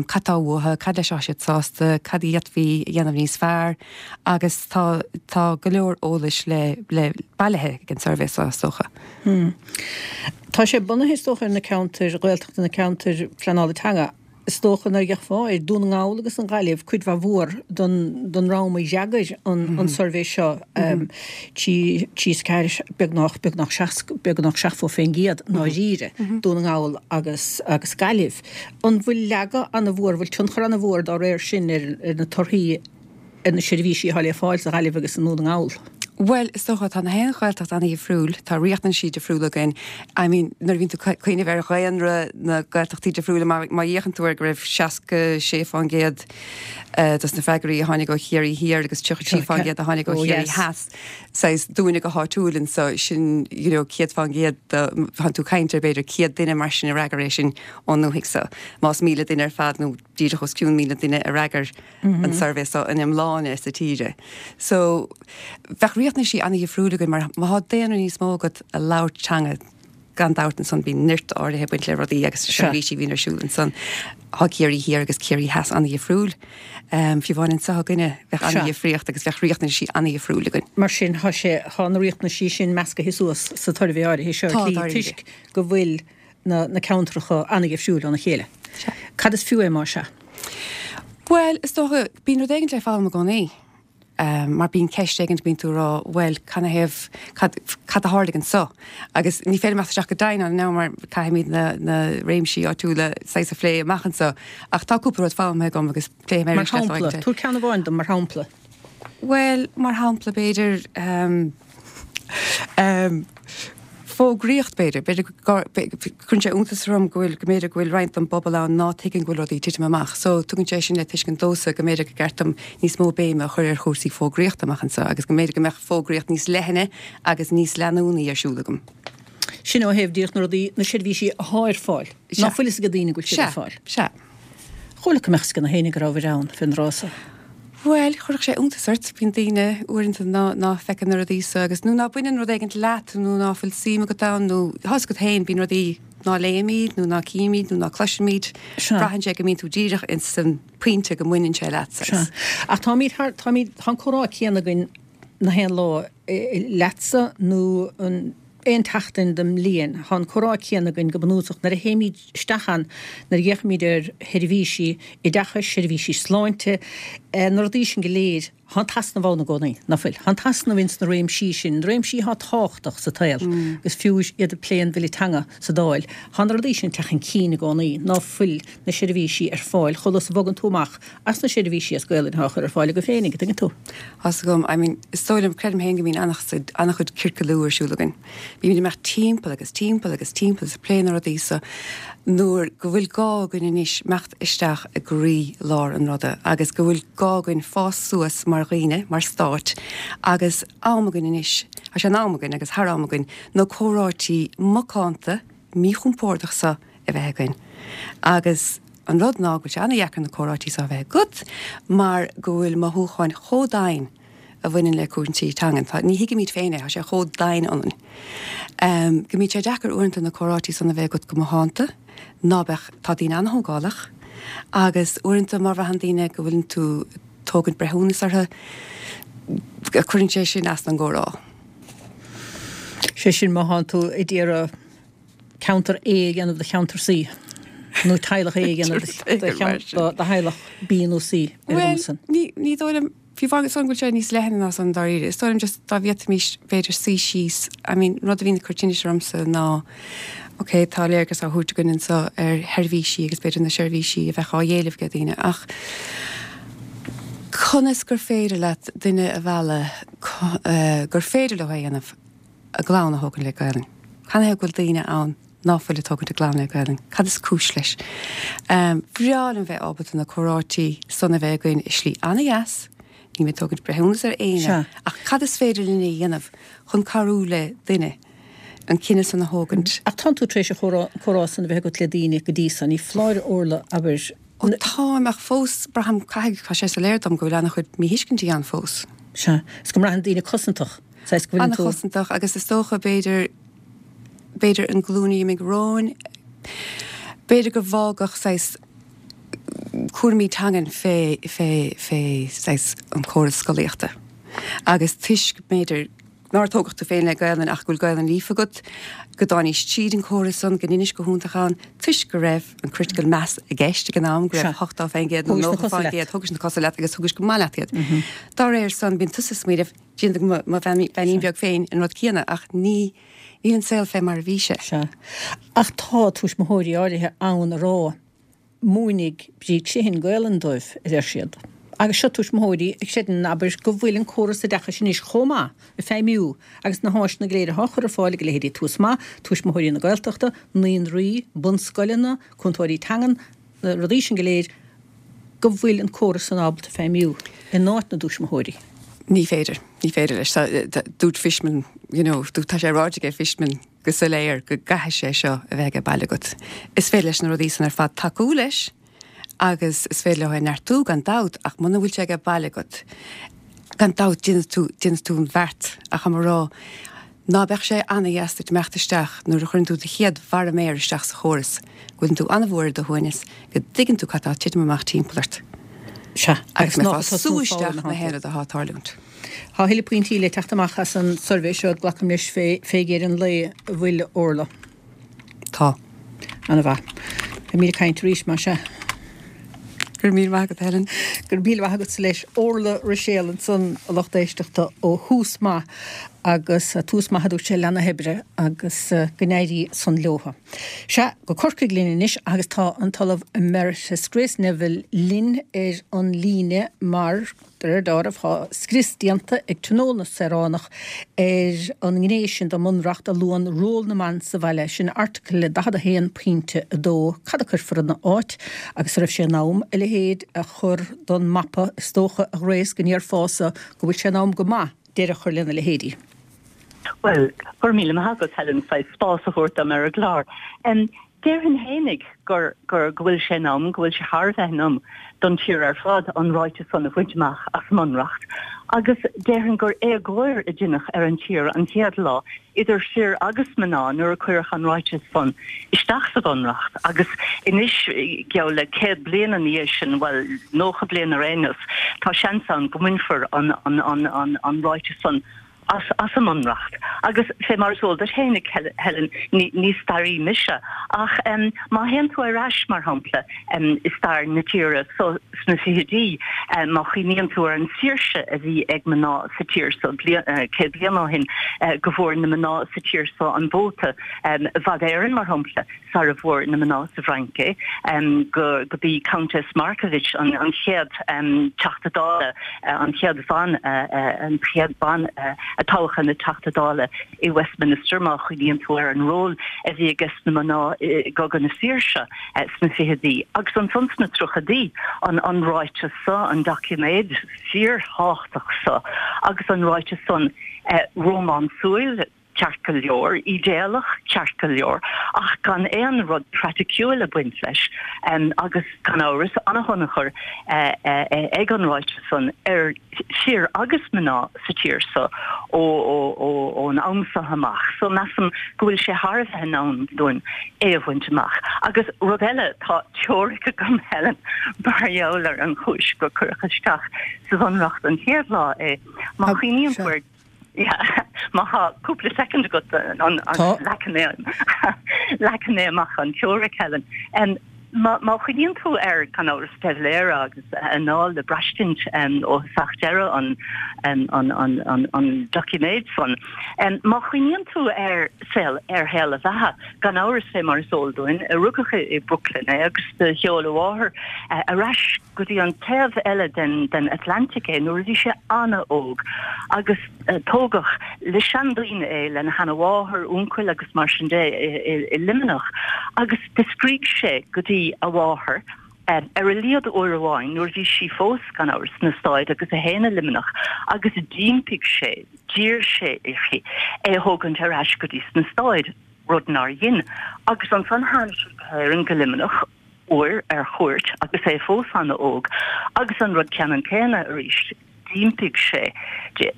cad tá uathu, cad leis atá siad sásta, cad a d'fhéadfaí a dhéanamh níos fearr agus tá tá go leor eolais le le bailithe ag an suirbhé seo is dócha. Tá sé bunaithe is dócha ar na ceantair Ghaeltachta, na ceantair phleanála teanga. Is dócha nuair a d'fhéachfá ar Dún na nGall agus an Ghaillimh, cuid mhaith mhór den den dream a d'fhreagair an an suirbhé seo, trí trí is ceathair, beagnach beagnach seasca beagnach seachtó fén gcéad i ndáiríre, Dún na nGall agus agus Gaillimh. An bhfuil leagadh an-mhór, an bhfuil tionchar an-mhór dá réir sin ar ar na torthaí ar na seirbhísí atá le fáil sa Ghaillimh agus i nDún na nGall? Bhuel, is dócha, tá na haon Ghaeltacht an-dhifriúil, tá riachtanaisí difriúla againn. I mean, nuair a bhíonn tú ag cuimhneamh ar dhaonra na Gaeltachtaí difriúla, má má fhéachann tú ar go raibh seasca sé fán gcéad dos na freagraí a tháinig ó Chiarraí Thiar agus tríocha trí fán gcéad a tháinig ó Chiarraí Theas, saghas dúinne go háitiúil anso, sin, you know, céad fán gcéad de, tá tú ag caint ar b'fhéidir céad duine mar sin a fhreagair é sin ón ndúthaigh so. Más míle duine ar fad nó díreach os cionn míle duine a fhreagair an suirbhé so in iomláine sa tíre. So, bheadh riachtanaisí an-dhifriúil againn mar má thá daonra níos mó agat ag labhairt teanga, gan dabht ansan bíonn nirt áirithe ag baint le rudaí agus seirbhísí a bhíonn ar siúl ansan. Thá Ciarraí Thiar agus Ciarraí Theas an-dhifriúil. Fiú amháin anso againne bheadh an-dhifríocht agus bheadh riachtanaisí an-dhifriúil againn. Mar sin, thá sé, thá na riachtanaisí sin meascaithe suas sa tsuirbhé áirithe seo ar shlí toisc go bhfuil na na ceantracha an-dhifriúil óna chéile. Cad is fiú é más ea? Bhuel, is dócha, bíonn rud éigin le foghlaim i gcónaí. Um, mar bíonn ceist éigin bíonn tú rá, well, canathaobh, cad, cad a tharlaigh anseo. Agus ní féidir imeacht isteach go domhain ann now mar caithfimid na, na réimsí áitiúla saghas a phlé amach anseo. Ach tá cúpla rud foghlamtha agam agus pléifidh mé Mar shampla, tabhair ceann amháin dom mar shampla. Bhuel, mar shampla b'fhéidir um, um, fógraíocht b'fhéidir, b'fhéidir cuireann sé iontas orm go bhfuil go mb'fhéidir go bhfuil roinnt den bpobal ann ná tuigeann go bhfuil rudaí ag titim amach. So tugann sé sin le tuiscint domhsa go mb'fhéidir gur ceart dom níos mó béime a chur ar chúrsaí fógraíochta amach anseo agus go mb'fhéidir go mbeadh fógraíocht níos leithne agus níos leanúnaí ar siúl agam. Sin ó thaobh díreach na rudaí, na seirbhísí atá ar fáil. Ná fuil fhios ag daoine go bhfuil siad ar fáil. Sea. Chuala go mbeadh fhios ag na héinne go raibh ann fén dtráth so. Bhuel, chuirfeadh sé iontas ort, bíonn daoine uaireanta ná ná feiceann na rudaí so agus nó ná baineann rud éigint leat nó ná fuil suim agat ann nó tá fhios agat féin, bíonn rudaí ná léimid nó ná címid nó ná cloisimid. Sea. Braitheann sé go mbíonn tú díreach ins an pointe go mbaineann sé leat. Sea. Ach táimid thar, táimid, tá an comhrá céanna againn na haon lá leatsa nó an aon tseachtain den mbliain. Tá an comhrá céanna againn go bunúsach nuair a théimid isteach ann, nuair a fhéachaimid ar sheirbhísí oideachais, seirbhísí sláinte, na rudaí sin go léir, tá an t-easnamh ann i gcónaí, ná fuil? Tá an t-easnamh ins na réimsí sin, na réimsí atá tábhachtach sa tsaol, agus fiú iad ag plé an Bhille Teanga sa Dáil, tá na rudaí sin ag teacht chun cinn i gcónaí, ná fuil na seirbhísí ar fáil chomh luath is a bhogann tú amach as na seirbhísí as Gaelainn atá á chur ar fáil agaibh féinig, an dtuigeann tú? Tá fhios agam, I mean, is dóigh liom, creidim féin go mbíonn an-chuid ciorcalú ar siúl againn. Bímid ag imeacht timpeall agus timpeall agus timpeall is ag plé na rudaí so nuair go bhfuil gá againn anois imeacht isteach i gcroí lár an ruda agus go bhfuil gá againn fás suas mar dhaoine, mar stát agus am againn anois, tá sé in am againn agus thar am againn na comhráití macánta, míchompordach so a bheith againn. Agus an rud ná go bhfuil sé an-dheacair na comhráití so a bheith agat mar go bhfuil mothúcháin chomh domhain a bhaineann le cúrsaí teangan. Tá, ní thuigimid féin é, tá sé chomh domhain ionainn. Um, go mbíonn sé deacair uaireanta na comhráití san a bheith agat go macánta, ná beadh, tá daoine an-thógálach agus uaireanta má bhraitheann daoine go bhfuileann tú ag tógaint breithiúnas orthu, cuireann sé sin as don gcomhrá. Sé sin má thánn tú ag iarraidh ceantar A a dhéanamh de cheantar C, nó teaghlach A a dhéanamh de theaghlach B nó C ar an Bhuel, san. ní, ní dóigh liom, fiú amháin go bhfuil sé níos leithne ná san dáiríre. Is dóigh liom just dá bhféadfaimis b'fhéidir suí síos, I mean, rud a bhíonn ag cur tinnis ormsa ná, ok, tá léargas á thabhairt againn anseo ar sheirbhísí agus b'fhéidir na seirbhísí a bheadh á éileamh ag daoine, ach conas gur féidir leat duine a mhealladh gur féidir leo a dhéanamh a gclann a thógaint le Gaelainn? Canathaobh go bhfuil daoine ann ná fuil ag tógaint a gclann le Gaelainn? Cad is cúis leis? Bhreá liom bheith ábalta na comhráití san a bheith againn i slí an-dheas, níl mé ag tógaint breithiúnas ar éinne, ach cad is féidir linn a dhéanamh chun cabhrú le duine an cinneadh san a thógaint? Ach tánn tú tar éis an chomhrá san a bheith agat le daoine go dtí so, ní foláir Orla, abair. Ó táim, ach fós braithim, caithfidh, tá sé soiléir dom go bhfuil an-chuid míthuiscintí ann fós. Sea, is go mbraitheann daoine cosantach, saghas go bhfuileann tú. An-chosantach agus is dócha b'fhéidir, b'fhéidir an glúin a d'imigh romhainn, b'fhéidir gur fágadh saghas cúraimí teangan fé, fé, fé saghas an córas scolaíochta agus toisc b'fhéidir nár tógadh tú féin le Gaelainn ach go bhfuil Gaelainn líofa agat, go dtáinís tríd an córas san, go ndeinis go hiontach ann, toisc go raibh an critical mass i gceist ag an am, go raibh ochtó fén gcéad nó nócha fén gcéad, thógais na cosa leat agus thugais go maith leat iad. Dá réir san, bíonn tusa ag smaoineamh, déanfaidh mo bheainín beag féin an rud céanna ach ní, níl an saol fé mar a bhí sé. Sea. Ach tá tuismitheoirí áirithe ann a rá, Múinfidh Bríd Sheehan Gaolainn dóibh, a deir siad. Agus seo tuismitheoirí a chreideann, abair, go bhfuil an córas oideachais anois chomh maith ag feidhmiú agus na háiseanna go léir atá á chur ar fáil ag a leithéidí Tús Maith, Tuismitheoirí na Gaeltachta, naíonraí, bunscoileanna, cúntóirí teangan, na rudaí sin go léir, go bhfuil an córas san ábalta feidhmiú in áit na dtuismitheoirí. Ní féidir. Ní féidir leis. Dúirt Fishman, you know, tá sé ráite ag Fishman go soiléir go gcaithfidh sé seo a bheith ag baile agat. Is féidir leis na rudaí san ar fad tacú leis agus is féidir leo é neartú gan dabht ach muna bhfuil sé ag baile agat, gan dabht déanfaidh tú, déanfaidh tú an bheart ach tá mé ag rá ná beadh sé ana-dheas duit imeacht isteach nuair a chuireann tú do chéad bharra méar isteach sa chóras, go bhfuileann tú an-mhór ar do shuaimhneas, go dtuigeann tú cad tá ag titim amach timpeall ort. Sea, agus go mbeifeá ag sú isteach na haon rud atá ag tarlúint. Tá a thuilleadh pointí le teacht amach as an suirbhé seo, glacaim leis, fé fé dheireadh an lae, an bhfuil, Orla? Tá. Ana-mhaith. Beimid ag caint arís, más ea. Go Go raibh míle maith agat, Helen. Go raibh míle maith agatsa leis. Orla Ruiséal ansan, a lucht éisteachta, ó Thús Maith agus tús maith a dúirt sé lena hoibre agus go n-éirí san leotha. Sea, go Corcaigh linn anois agus tá an tOllamh Emeritus Grace Neville linn ar an líne mar, de réir dealraimh, tá scrios déanta ag Tionól na Saoránach ar an ngné sin den mBunreacht a luann ról na mban sa bhaile, sin Airteagal daichead a haon pointe a dó. Cad a cuirfear ina áit agus an raibh sé in am a leithéid a chur don mapa? Is dócha, a Ghrace, go ndéarfása go bhfuil sé in am go maith deireadh a chur lena leithéidí. Bhuel, go raibh míle maith agat, Helen, saghas spás a thabhairt dom ar an gclár. Déarfainn fhéinig gur, gur, go bhfuil sé in am, go bhfuil sé thar a bheith in am don tír ar fad an ráiteas san a bhaint amach as an mBunreacht. Agus déarfainn gur éagóir a deineadh ar an tír an chéad lá, idir fir agus mná, nuair a cuireadh an ráiteas san isteach sa Bhunreacht. Agus anois, geall le céad bliain ina dhiaidh sin, bhuel, nócha bliain ar aon nós, tá seans ann go mbainfear an, an, an, an, an ráiteas san as as an mBunreacht. Agus fé mar is eol duit fhéinig, Helen, ní ní staraí mise, ach má théann tú ar ais, mar shampla, i stair na tíre so sna fichidí, má chuimhníonn tú ar an saoirse a bhí ag mná sa tír so céad bliain ó shin, go bhfuair na mná sa tír so an vóta i bhfad Éireann, mar shampla, sara bhfuair na mná sa bhFrainc é, go go b'í Countess Markievicz an an chéad Teachta Dála, an chéad bhean, an chéad bean a toghadh ina Teachta Dála i Westminster, má chuimhníonn tú ar an ról a bhí ages na mná i gCogadh na Saoirse sna fichidí. Agus ansan sna tríochaidí, an an ráiteas so, an doiciméad fíorthábhachtach so, agus an ráiteas san rómánsúil, ceart go leor, ídéalach, ceart go leor, ach gan aon rud praiticiúil ag baint leis, agus gan amhras, an-thionchar ag an ráiteas san ar fir agus mná sa tír so ón am so amach. So measaim go bhfuil sé thar a bheith in am dúinn é a bhaint amach. Agus rud eile, tá teoiric agam, Helen, mar gheall ar an chúis gur cuireadh isteach sa Bhunreacht an chéad lá é. Má chuimhníonn tú ar Má tá cúpla soicind agat leagfaidh mé leagfaidh mé amach an teoiric, Helen. Má chuimhníonn tú ar, gan amhras, De Valera agus a anáil le braistint ó thosach deireadh an doiciméid san, má chuimhníonn tú ar saol, ar shaol a bheatha, gan amhras, fé mar is eol dúinn, rugadh i Brooklyn é agus do sheol a mháthair ar ais go dtí an taobh eile den Atlantic é nuair a bhí sé an-óg agus tógadh le seandaoine é, lena sheanamháthair, uncail agus mar sin de i Luimneach agus do scrígh sé go dtí a mháthair ar a laghad uair amháin nuair a bhí sí fós, gan amhras, sna Stáid agus é féin i Luimneach agus d'impigh sé, d'iarr sé uirthi é a thógaint ar ais go dtí sna Stáid, rud nár dhein. Agus ansan tháinig sé go hÉirinn, go Luimneach. uair ar chuairt agus é fós ana-óg agus an rud ceannann céanna arís, d'impigh sé di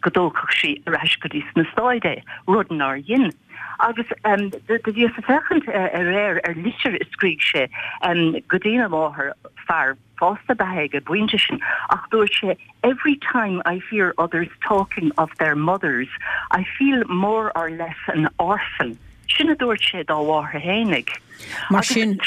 go dtógfadh sí ar ais go dtí sna Stáid é, rud nár dhein. Agus do bhíos ag féachaint aréir ar litir a scrígh sé go dtína mháthair, fear fásta ab ea é ag an bpointe sin, ach dúirt sé Every time I hear others talking of their mothers, I feel more or less an orphan. Sin a dúirt sé dá mháthair fhéinig. Mar sin,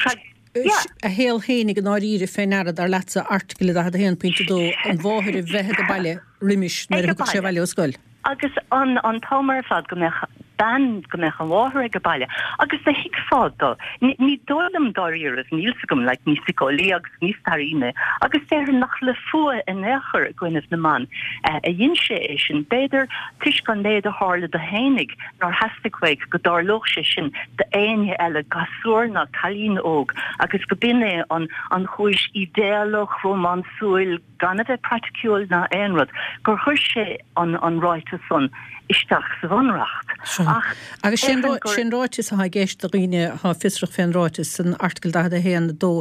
a shaol fhéinig i ndáiríre fé ndeara, dar leatsa, Airteagal daichead a haon pointe a dó, an mháthair a bheith ag baile roimis nuair a thiocfadh sé abhaile ó scoil. Agus an an t-am ar fad go mbeadh bean, go mbeadh an mháthair ag baile. Agus do thuigfeá dó. Ní dóigh liom dáiríribh, níl 's agam, like, ní síceolaí agus ní staraí mé, agus déarfainn nach le fuath in aon chor i gcoinnibh na mban a dhein sé é sin. B'fhéidir toisc an méid a tharla do fhéinig nár theastaigh uaidh go dtarlódh sé sin d'éinne eile, gasúr ná cailín óg, agus go b'in é an an chúis ídéalach, rómánsúil, gan a bheith praiticiúil ná aon rud, gur chuir sé an an ráiteas san isteach sa Bhunreacht. Ach Agus sé an ráiteas atá i gceist do dhaoine atá fiosrach fén ráiteas san Airteagal daichead a haon, a dó,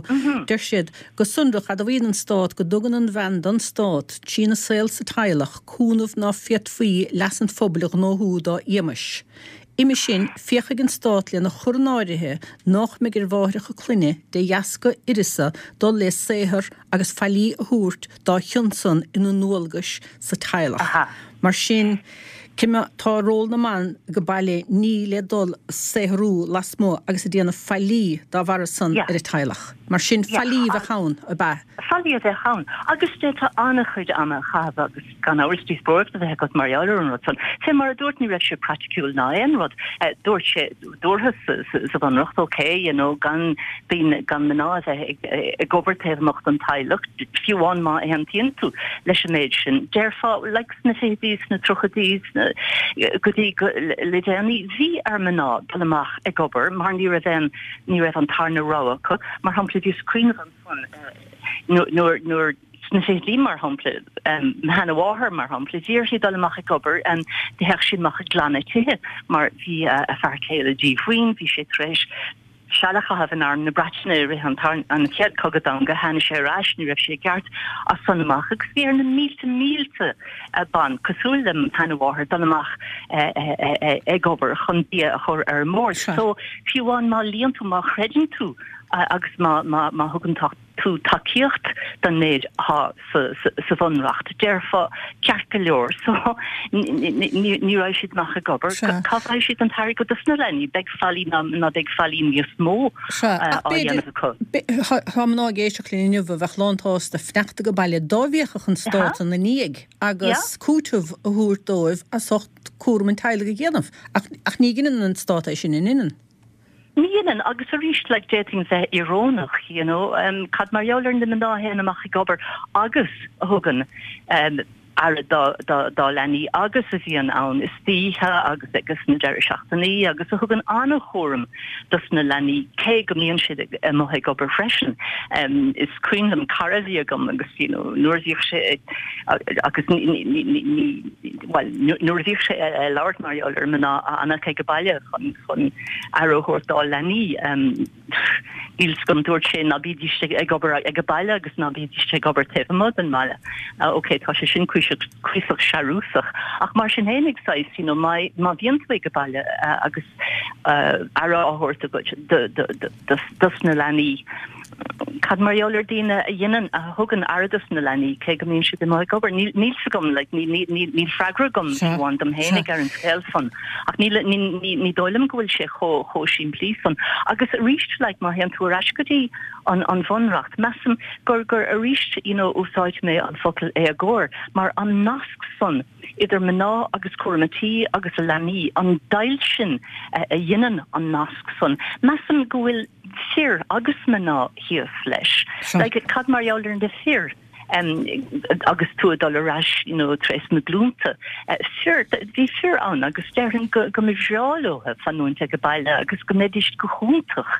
deir siad, go sonrach, admhaíonn an Stát go dtugann an bhean don Stát, trína saol sa teaghlach, cúnamh ná féadfaí leas an phobail a ghnóthú dá éamais. Uime sin, féachfaidh an Stát lena chur in áirithe nách mbeidh ar mháithreacha clainne, de dheasca uireasa, dul le saothar agus faillí a thabhairt dá chionn san ina ndualgais sa teaghlach. Mar sin, Cime tá ról na mban ag baile ní le dul saothrú lasmuigh agus ag déanamh faillí dá bharra san ar an teaghlach. Mar sin faillí a bheadh ann, ab ea? Faillí a bheadh ann. Agus d'fhéadfá an-chuid ama a chaitheamh agus gan amhras díospóireacht a bheith agat mar gheall ar an rud san. Fé mar a dúirt ní raibh sé praiticiúil ná aon rud. Dúirt sé, dúrthas sa Bhunreacht, ok, you know, gan daoine, gan mná a bheith ag obair taobh amuigh den teaghlach, fiú amháin má aontaíonn tú leis an méid sin. Déarfá, like sna fichidí, sna tríochaidí, sna, go dtí go, le déanaí, bhí ar mná dul amach ag obair mar ní raibh aon, ní raibh an tarna rogha acu. Mar shampla, bhíos ag cuimhneamh ansan, nuair, nuair, sna fichidí, mar shampla, mo sheanamháthair, mar shampla, bhí uirthi dul amach ag obair, théadh sí amach ag glanadh tithe mar bhí a fear céile díomhaoin, bhí sé tar éis seal a chaitheamh in Arm na Breataine i rith an Chéad Chogadh Domhanda, tháinig sé ar ais, ní raibh sé i gceart as san amach agus bhí ar na mílte mílte ban, cosúil le mo sheanamháthair, dul amach ag obair chun bia a chur ar an mbord. So, fiú amháin má luíonn tú, má chreideann tú agus má thugann tú tacaíocht don méid atá sa Bhunreacht, déarfá, ceart go leor, so ní raghaidh siad amach ag obair, cá bhfaighidh siad an t-airgead dos na leanaí? Beidh faillí ná beidh faillí níos mó á dhéanamh acu. Tá mná ag éisteacht linn inniu a bheadh lánsásta fanacht ag baile dá bhféachfadh an stát ina ndiaidh agus cúiteamh a thabhairt dóibh as ucht cúram an teaghlaigh a dhéanamh. Ach ní dheineann an stát é sin, an ndeineann? Ní dheineann, agus arís, like, d'fhéadfainn bheith íorónach, you know, um, cad mar gheall ar na mná a théann amach ag obair agus a thugann um, aire dá, dá, dá leanaí agus a bhíonn ann istoíche agus agus na deireadh seachtainí agus a thugann an-chúram dos na leanaí cé go mbíonn siad ag, amuigh ag obair freisin. Um, is cuimhin liom cara a bhí agam agus you know, nuair a bhíodh sé agus ní, ní, ní, ní, ní, well, nuair a bhíodh sé ag labhairt mar gheall ar mná a fhanfadh ag baile chun chun aire a thabhairt dá leanaí. Níl 's agam, dúirt sé ná bídís ag obair ag baile agus ná bídís ag obair taobh amuigh den mbaile. Ok, tá sé sin cuíosach searúsach, ach mar sin fhéinig saghas, you know, má má bhíonn tú ag baile agus aire á thabhairt agat dos na leanaí, Cad mar gheall ar daoine a dhéanann, a thugann aire dos na leanaí, cé go mbíonn siad amuigh ag obair? Níl 's agam, like, níl freagra agam fiú amháin dom fhéinig ar an scéal san, ach níl, ní dóigh liom go bhfuil sé chomh, chomh simplí san. Agus arís, like, má théann tú ar ais go dtí an, an Bhunreacht, measaim gur, gur arís, you know, úsáidfidh mé an focal éagóir, mar an nasc san idir mná agus cúram a tí agus a leanaí, an deighilt sin a dhéanann an nasc san, measaim go bhfuil, fir agus mná thíos leis. Like, cad mar gheall ar na fir um, agus tú ag dul ar ais you know, trés na glúnta. Uh, fir, bhí fir ann agus déarfainn go, go mba bhreá leo fanúint ag baile agus go mbeidís go hiontach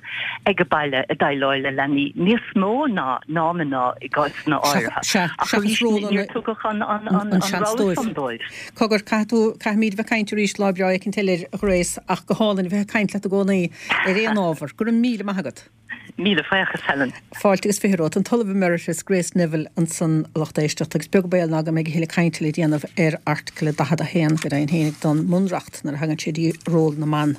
ag baile ag déileáil le leanaí níos mó ná ná mná i gcásanna áirithe. Ach arís níor tugadh an, an, an, an rogha san dóibh. Cogar, caithfidh tú, caithfimid bheith ag caint arís lá breá éicint eile a Ghrace ach go hálainn a bheith ag caint leat i gcónaí ar aon ábhar. Go raibh míle maith agat. Míle buíochas, Helen. Fáilte agus fiche romhat. An tOllamh Emeritus Grace Neville ansan a lucht éisteachta agus beag baol ná go mbeidh a thuilleadh cainte le déanamh ar Airteagal daichead a haon go deimhin féinig don mBunreacht nuair a thagann sé dtí ról na mban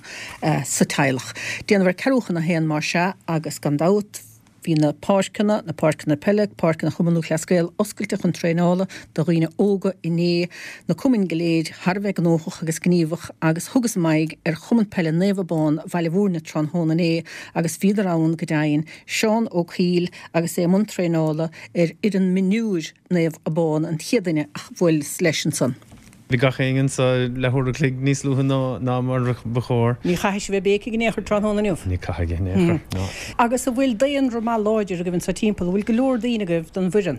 sa teaghlach. Déanamh ar ceathrú chun a haon más ea agus gan dabht Bhí na páirceanna, na páirceanna peile, páirceanna Chumann Lúthchleas Gael oscailte chun traenála do dhaoine óga inné, na cumainn go léir thar a bheith gnóthach agus gníomhach agus thugas m'aghaidh ar Chumann Peile Naomh Abán Bhaile Mhúirne tráthnóna inné agus bhíodar ann go deimhin, Seán Ó Cuill agus é i mbun traenála ar fhoireann mionúir Naomh Abán an chéad duine a bhuaileas leis ansan. Bhí gach éinne anso leathuair a chloig níos luaithe ná mar ba chóir. Ní chaithfidh sibh bheith béicigh in aon chor tráthnóna inniu. Ní chaithfidh in aon chor, no. Agus an bhfuil daonra maith láidir agaibh anso timpeall? An bhfuil go leor daoine agaibh don bhfoireann?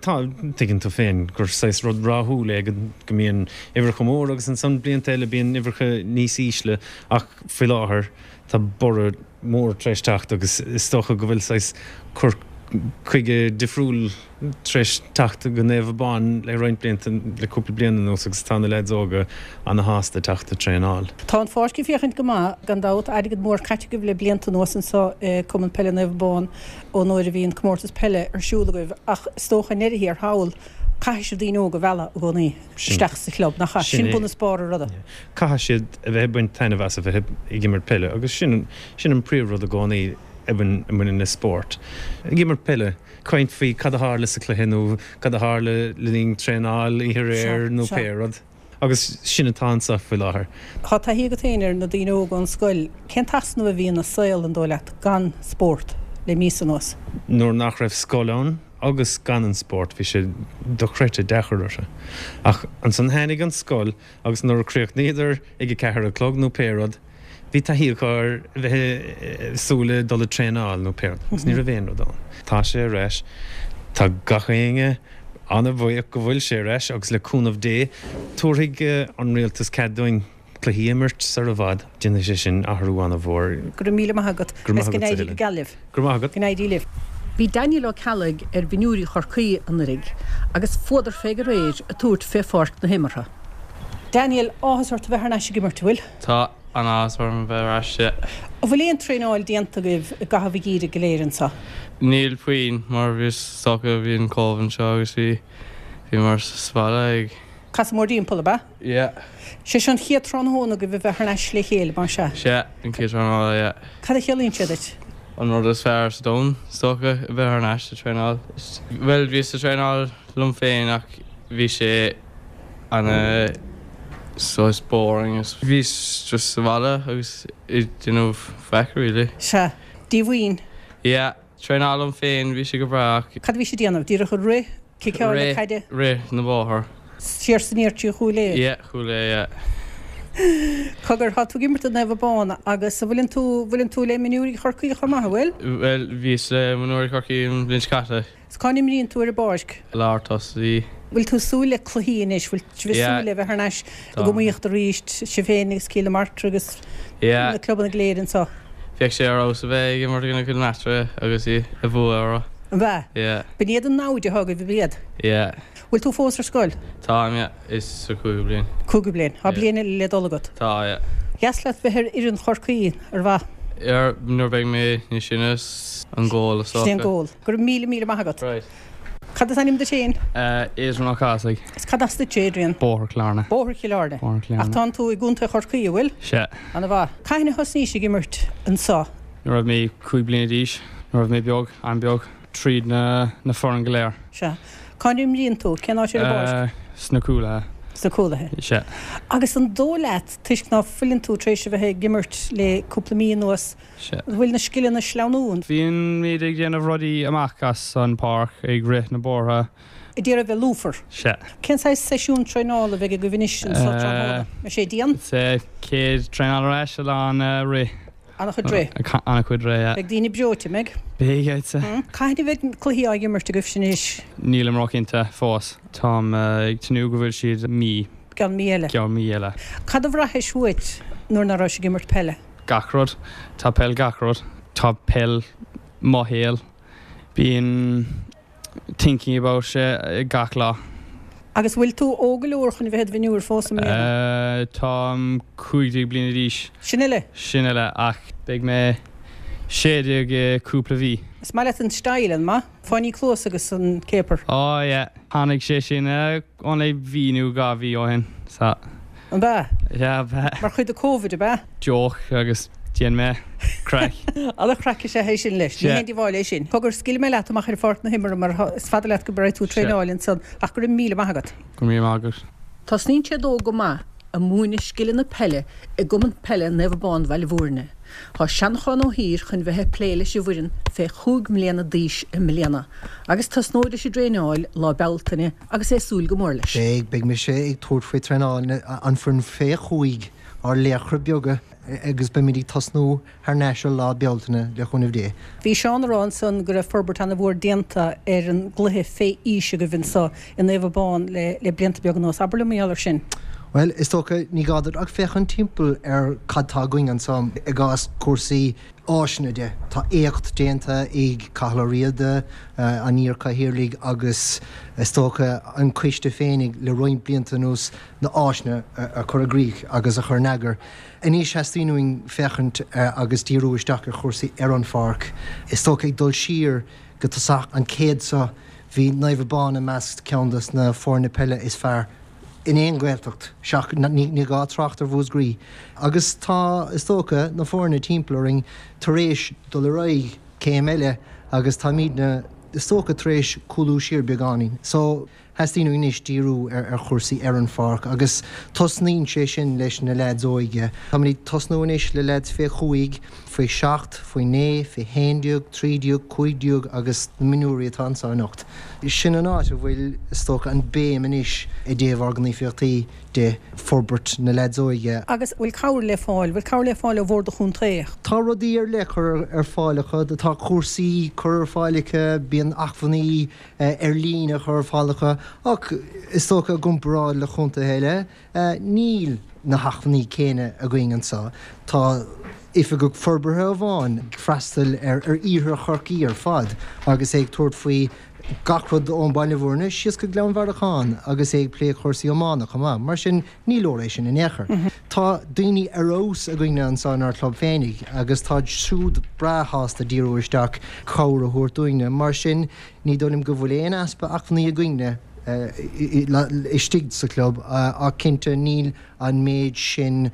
Tá, tuigeann tú féin gur saghas rud ráithiúil é go mbíonn uimhreacha mór agus ansan blianta eile bíonn uimhreacha níos ísle ach faoi láthair tá borradh mór tar éis teacht agus is dócha go bhfuil saghas cur chuige difriúil tar éis teacht go Naomh Abán le roinnt blianta, le cúpla bliain anuas agus tá na leaids óga ana-shásta teacht ag traenáil. Tá an pháirc ag féachaint go maith, gan dabht. Airgead mór caite agaibh le blianta anuas anso i Cumann Peile Naomh Abán ón uair a bhí an comórtas peile ar siúl agaibh ach is dócha i ndeireadh thiar thall caithfidh sibh daoine óga a mhealladh i gcónaí isteach sa chlub, nach ea? Sin bun is barr an ruda. Caithfidh siad a bheith ag baint taitneamh as a bheith ag imirt peile agus sin sin an príomhrud i gcónaí. a bhaineann le spórt. Ag imirt peile, caint faoi cad a tharla sa chluiche nó cad a tharla le linn traenáil oíche aréir nó pé rud. Agus sin atá anseo faoi láthair. Tá taithí agat féin ar na daoine óga ón scoil. Cén t-easnamh a bhí ina saol, an dóigh leat, gan spórt le míosa anuas? Nuair nach raibh scoil ann agus gan an spórt, bhí sé dochreidte deacair orthu. Ach ansan tháinig an scoil agus nuair a chríochnaíodar ag a ceathair a chlog nó pé rud, bhí taithí acu ar bheith ag súil le dul ag traenáil nó pé rud agus ní raibh aon rud ann. Tá sé ar ais. Tá gach éinne an-bhuíoch go bhfuil sé ar ais agus le cúnamh Dé tabharfaidh an rialtas cead dúinn cluichí a imirt sar i bhfad. Déanfaidh sé sin athrú an-mhór. Go raibh míle maith agat. Go raibh maith Go agatsa, n-éirí go Helen. geal libh. Go raibh maith agat. Go n-éirí libh. Bhí Daniel Ó Ceallaigh ar mhionúirí Chorcaí anuraidh agus fuadar fé aréir ag tabhairt fé pháirc na himeartha. Daniel, áthas ort a bheith thar n-ais ag imirt, an bhfuil? Tá an-áthas orm a bheith ar ais, yeah. An bhfuil aon traenáil déanta agaibh i gcaitheamh an gheimhridh go léir anseo? Níl puinn mar bhí is dócha bhí an Covid anseo agus bhí bhíomar sa bhaile ag. Casadh mórthimpeall, ab ea? Yeah. Sé seo an chéad tráthnóna agaibh a bheith thar n-ais le chéile, más ea? Sea, an chéad traenáil, yeah. Cad a chiallaíonn sé duit? An rud is fearr sa domhan, is dócha, a bheith thar n-ais sa traenáil. Bhuel, bhíos sa traenáil liom féin ach bhí sé ana saghas boring is bhíos just sa bhaile agus ag déanamh faic really. Sea. Díomhaoin. Yeah, traenáil liom féin, bhí sé go breá ach. Cad a bhí sé ag déanamh? Díreach ag rith? Ciceáil na caide? Rith na bóthar. Siar is aniar trí Chúil Aodha? Yeah, Chúil Aodha, yeah. Cogar, tá tú ag imirt do Naomh Abán agus an bhfuileann tú, bhfuileann tú le mionúirí Chorcaí chomh maith, an bhfuil? Bhuel, bhíos le mionúirí Chorcaí an bhliain seo caite. Is cá n-imríonn tú ar an bpáirc? Lár tosaí. Bhfuil tú ag súil le cluichí anois? Bhfuil sibh ag súil le bheith thar n-ais ag iomaíocht arís, sibh féin agus Cill na Martra agus na clubanna go léir anseo? Bheadh sé ar fheabhas a bheith ag imirt i gcoinne Cill na Martra agus í a bhua orthu. An b'ea? Yeah. B'in iad an namhaid atá agaibh, ab iad? Yeah. Bhfuil tú fós ar scoil? Táim, yeah. Is sa cúigiú bliain. Cúigiú bliain. Tá bliain eile le dul agat. Tá, yeah. Dheas leat bheith ar fhoireann Chorcaí, ar mhaith? Ar, nuair beidh mé níos sine, an goal is Sin é an dócha. goal. Go raibh míle míle maith agat. Right. Cad is ainm duit féin? Adrian Ó Cathasaigh. Is cad as duit, Adrian? Bóthar Chill Airne. Bóthar Chill Airne. Bóthar Chill Ach Airne. tánn tú i gContae Chorcaí, an bhfuil? Sea. Ana mhaith. Cathain a thosnaís ag imirt anseo? Nuair a raibh mé cúig bliana d'aois, nuair a raibh mé beag, an-beag, tríd na na foireann go léir. Sea. Cá n-imríonn tú? Cén áit ar an bpáirc? Sna cúlaithe. Sna cúlaithe. Sea. Agus an dóigh leat, toisc ná fuileann tú tar éis a bheith ag imirt le cúpla mí anuas, Sea. an bhfuil na scileanna ag sleamhnú? Bíonn muid ag déanamh rudaí amach as an páirc, ag rith na bóithre. Ag iarraidh bheith lúfar. Sea. Cén saghas seisiún traenála a bheidh agaibh anois anseo tráthnóna? An sé dian? Is é céad traenáil ar ais a lán rith. An-chuid rith. An-chuid rith, yeah. Beidh daoine breoite, an mbeidh? Beidh, I'd say. Cathain a bheidh cluichí á imirt agaibh anois? Nílim róchinnte fós. Táim ag tnúth go bhfuil siad mí. Ceann mí eile. Ceann mí eile. Cad a bhraithis uait nuair nach raibh ag imirt peile? Gach rud. Tá peil gach rud. Tá peil mo shaol. Bíonn thinking about sé gach lá. Agus bhfuil tú óg go leor chun bheith i do mhionúr fós i mbliana? Táim cúig déag bliana d'aois. Sin uile? Sin uile, ach beidh mé sé déag i cúpla mhí. Is maith leat an style, an maith? Fáinní cluas agus an céapair. Ó yeah, tháinig sé sin only mhí nó dhá mhí ó shin, so. An b'ea? Yeah, b'ea. Mar chuid de Covid, ab ea? Joke agus déan mé craic. An-chraic is ea é sin leis. Ní haon díobháil é sin. Cogar, scaoilfidh mé leat amach ar pháirc na himeartha mar is fada leat go mbeidh tú ag traenáil ansan ach go raibh míle maith agat. Go raibh míle maith agat. Tosnaíonn sé dó go maith ag múineadh scileanna peile i gCumann Peile Naomh Abán Bhaile Bhúirne. Tá Seanchán Ó hÍr chun bheith ag plé leis an bhfoireann fé chúig mbliana d'aois i mbliana agus tosnóidh leis an dtraenáil lá Bealtaine agus é ag súil go mór leis. Beidh, beidh mise ag tabhairt faoi traenáil an foireann fé chúig, ár laochra beaga agus beimid ag tosnú thar n-ais ar lá Bealtaine le cúnamh Dé. Bhí Seán ag rá ansan go raibh forbairt an-mhór déanta ar an gcluiche fé aois agaibh anso i Naomh Abán le le blianta beaga anuas. Abair liom mar gheall air sin. Bhuel, is dócha ní gá duit ach féachaint timpeall ar cad tá againn anso i gcás cúrsaí áiseanna de. Tá éacht déanta ag Cathal Ó Riada, an iar-chathaoirligh agus is dócha an coiste féinig le roinnt blianta anuas na áiseanna a chur i gcrích agus a chur in eagar. Anois theastaíonn uainn féachaint agus díriú isteach ar chúrsaí ar an pháirc. Is dócha ag dul siar go tosach an chéad seo bhí Naomh Abán i measc ceann des na foirne peile is fearr in aon Ghaeltacht, seach ní gá trácht ar Mhúscraí. Agus tá, is dócha, na foirne timpeall orainn tar éis dul ar aghaidh céim eile agus táimidne, is dócha, tar éis cúlú siar beagáinín. So, Theastaíonn uainn anois díriú ar chúrsaí ar an pháirc agus tosnaíonn sé sin leis na leaids óige. Táimid ag tosnú anois le leaids fé chúig, faoi seacht, faoi naoi, faoi haon déag, trí déag, cúig déag agus na mionúirí atá anseo anocht. Sin an áit a bhfuil, is dócha, an béim anois i dtaobh ár ngníomhaíochtaí de forbairt na leaids óige. Agus bhfuil cabhair le fáil, bhfuil cabhair le fáil ó Bhord an Chontae? Tá rudaí ar leith curtha ar fáil acu, tá cúrsaí curtha ar fáil acu, bíonn acmhainní ar líne curtha ar fáil acu ach is dócha i gcomparáid le contaetha eile, níl na hacmhainní céanna againn anseo. Tá oifigeach forbartha amháin ag freastal ar iarthar Chorcaí ar fad agus é ag tabhairt faoi gach rud ón Baile Bhúirne síos go Gleann Bhearacháin agus é ag plé cúrsaí iomána chomh maith. Mar sin, ní leor é sin in aon chor. Tá daoine ar fheabhas againne anseo inár gclub féinig agus táid siúd breá shásta díriú isteach cabhair a thabhairt dúinne. Mar sin, ní dóigh liom go bhfuil aon easpa acmhainní againne istigh sa chlub ach cinnte níl an méid sin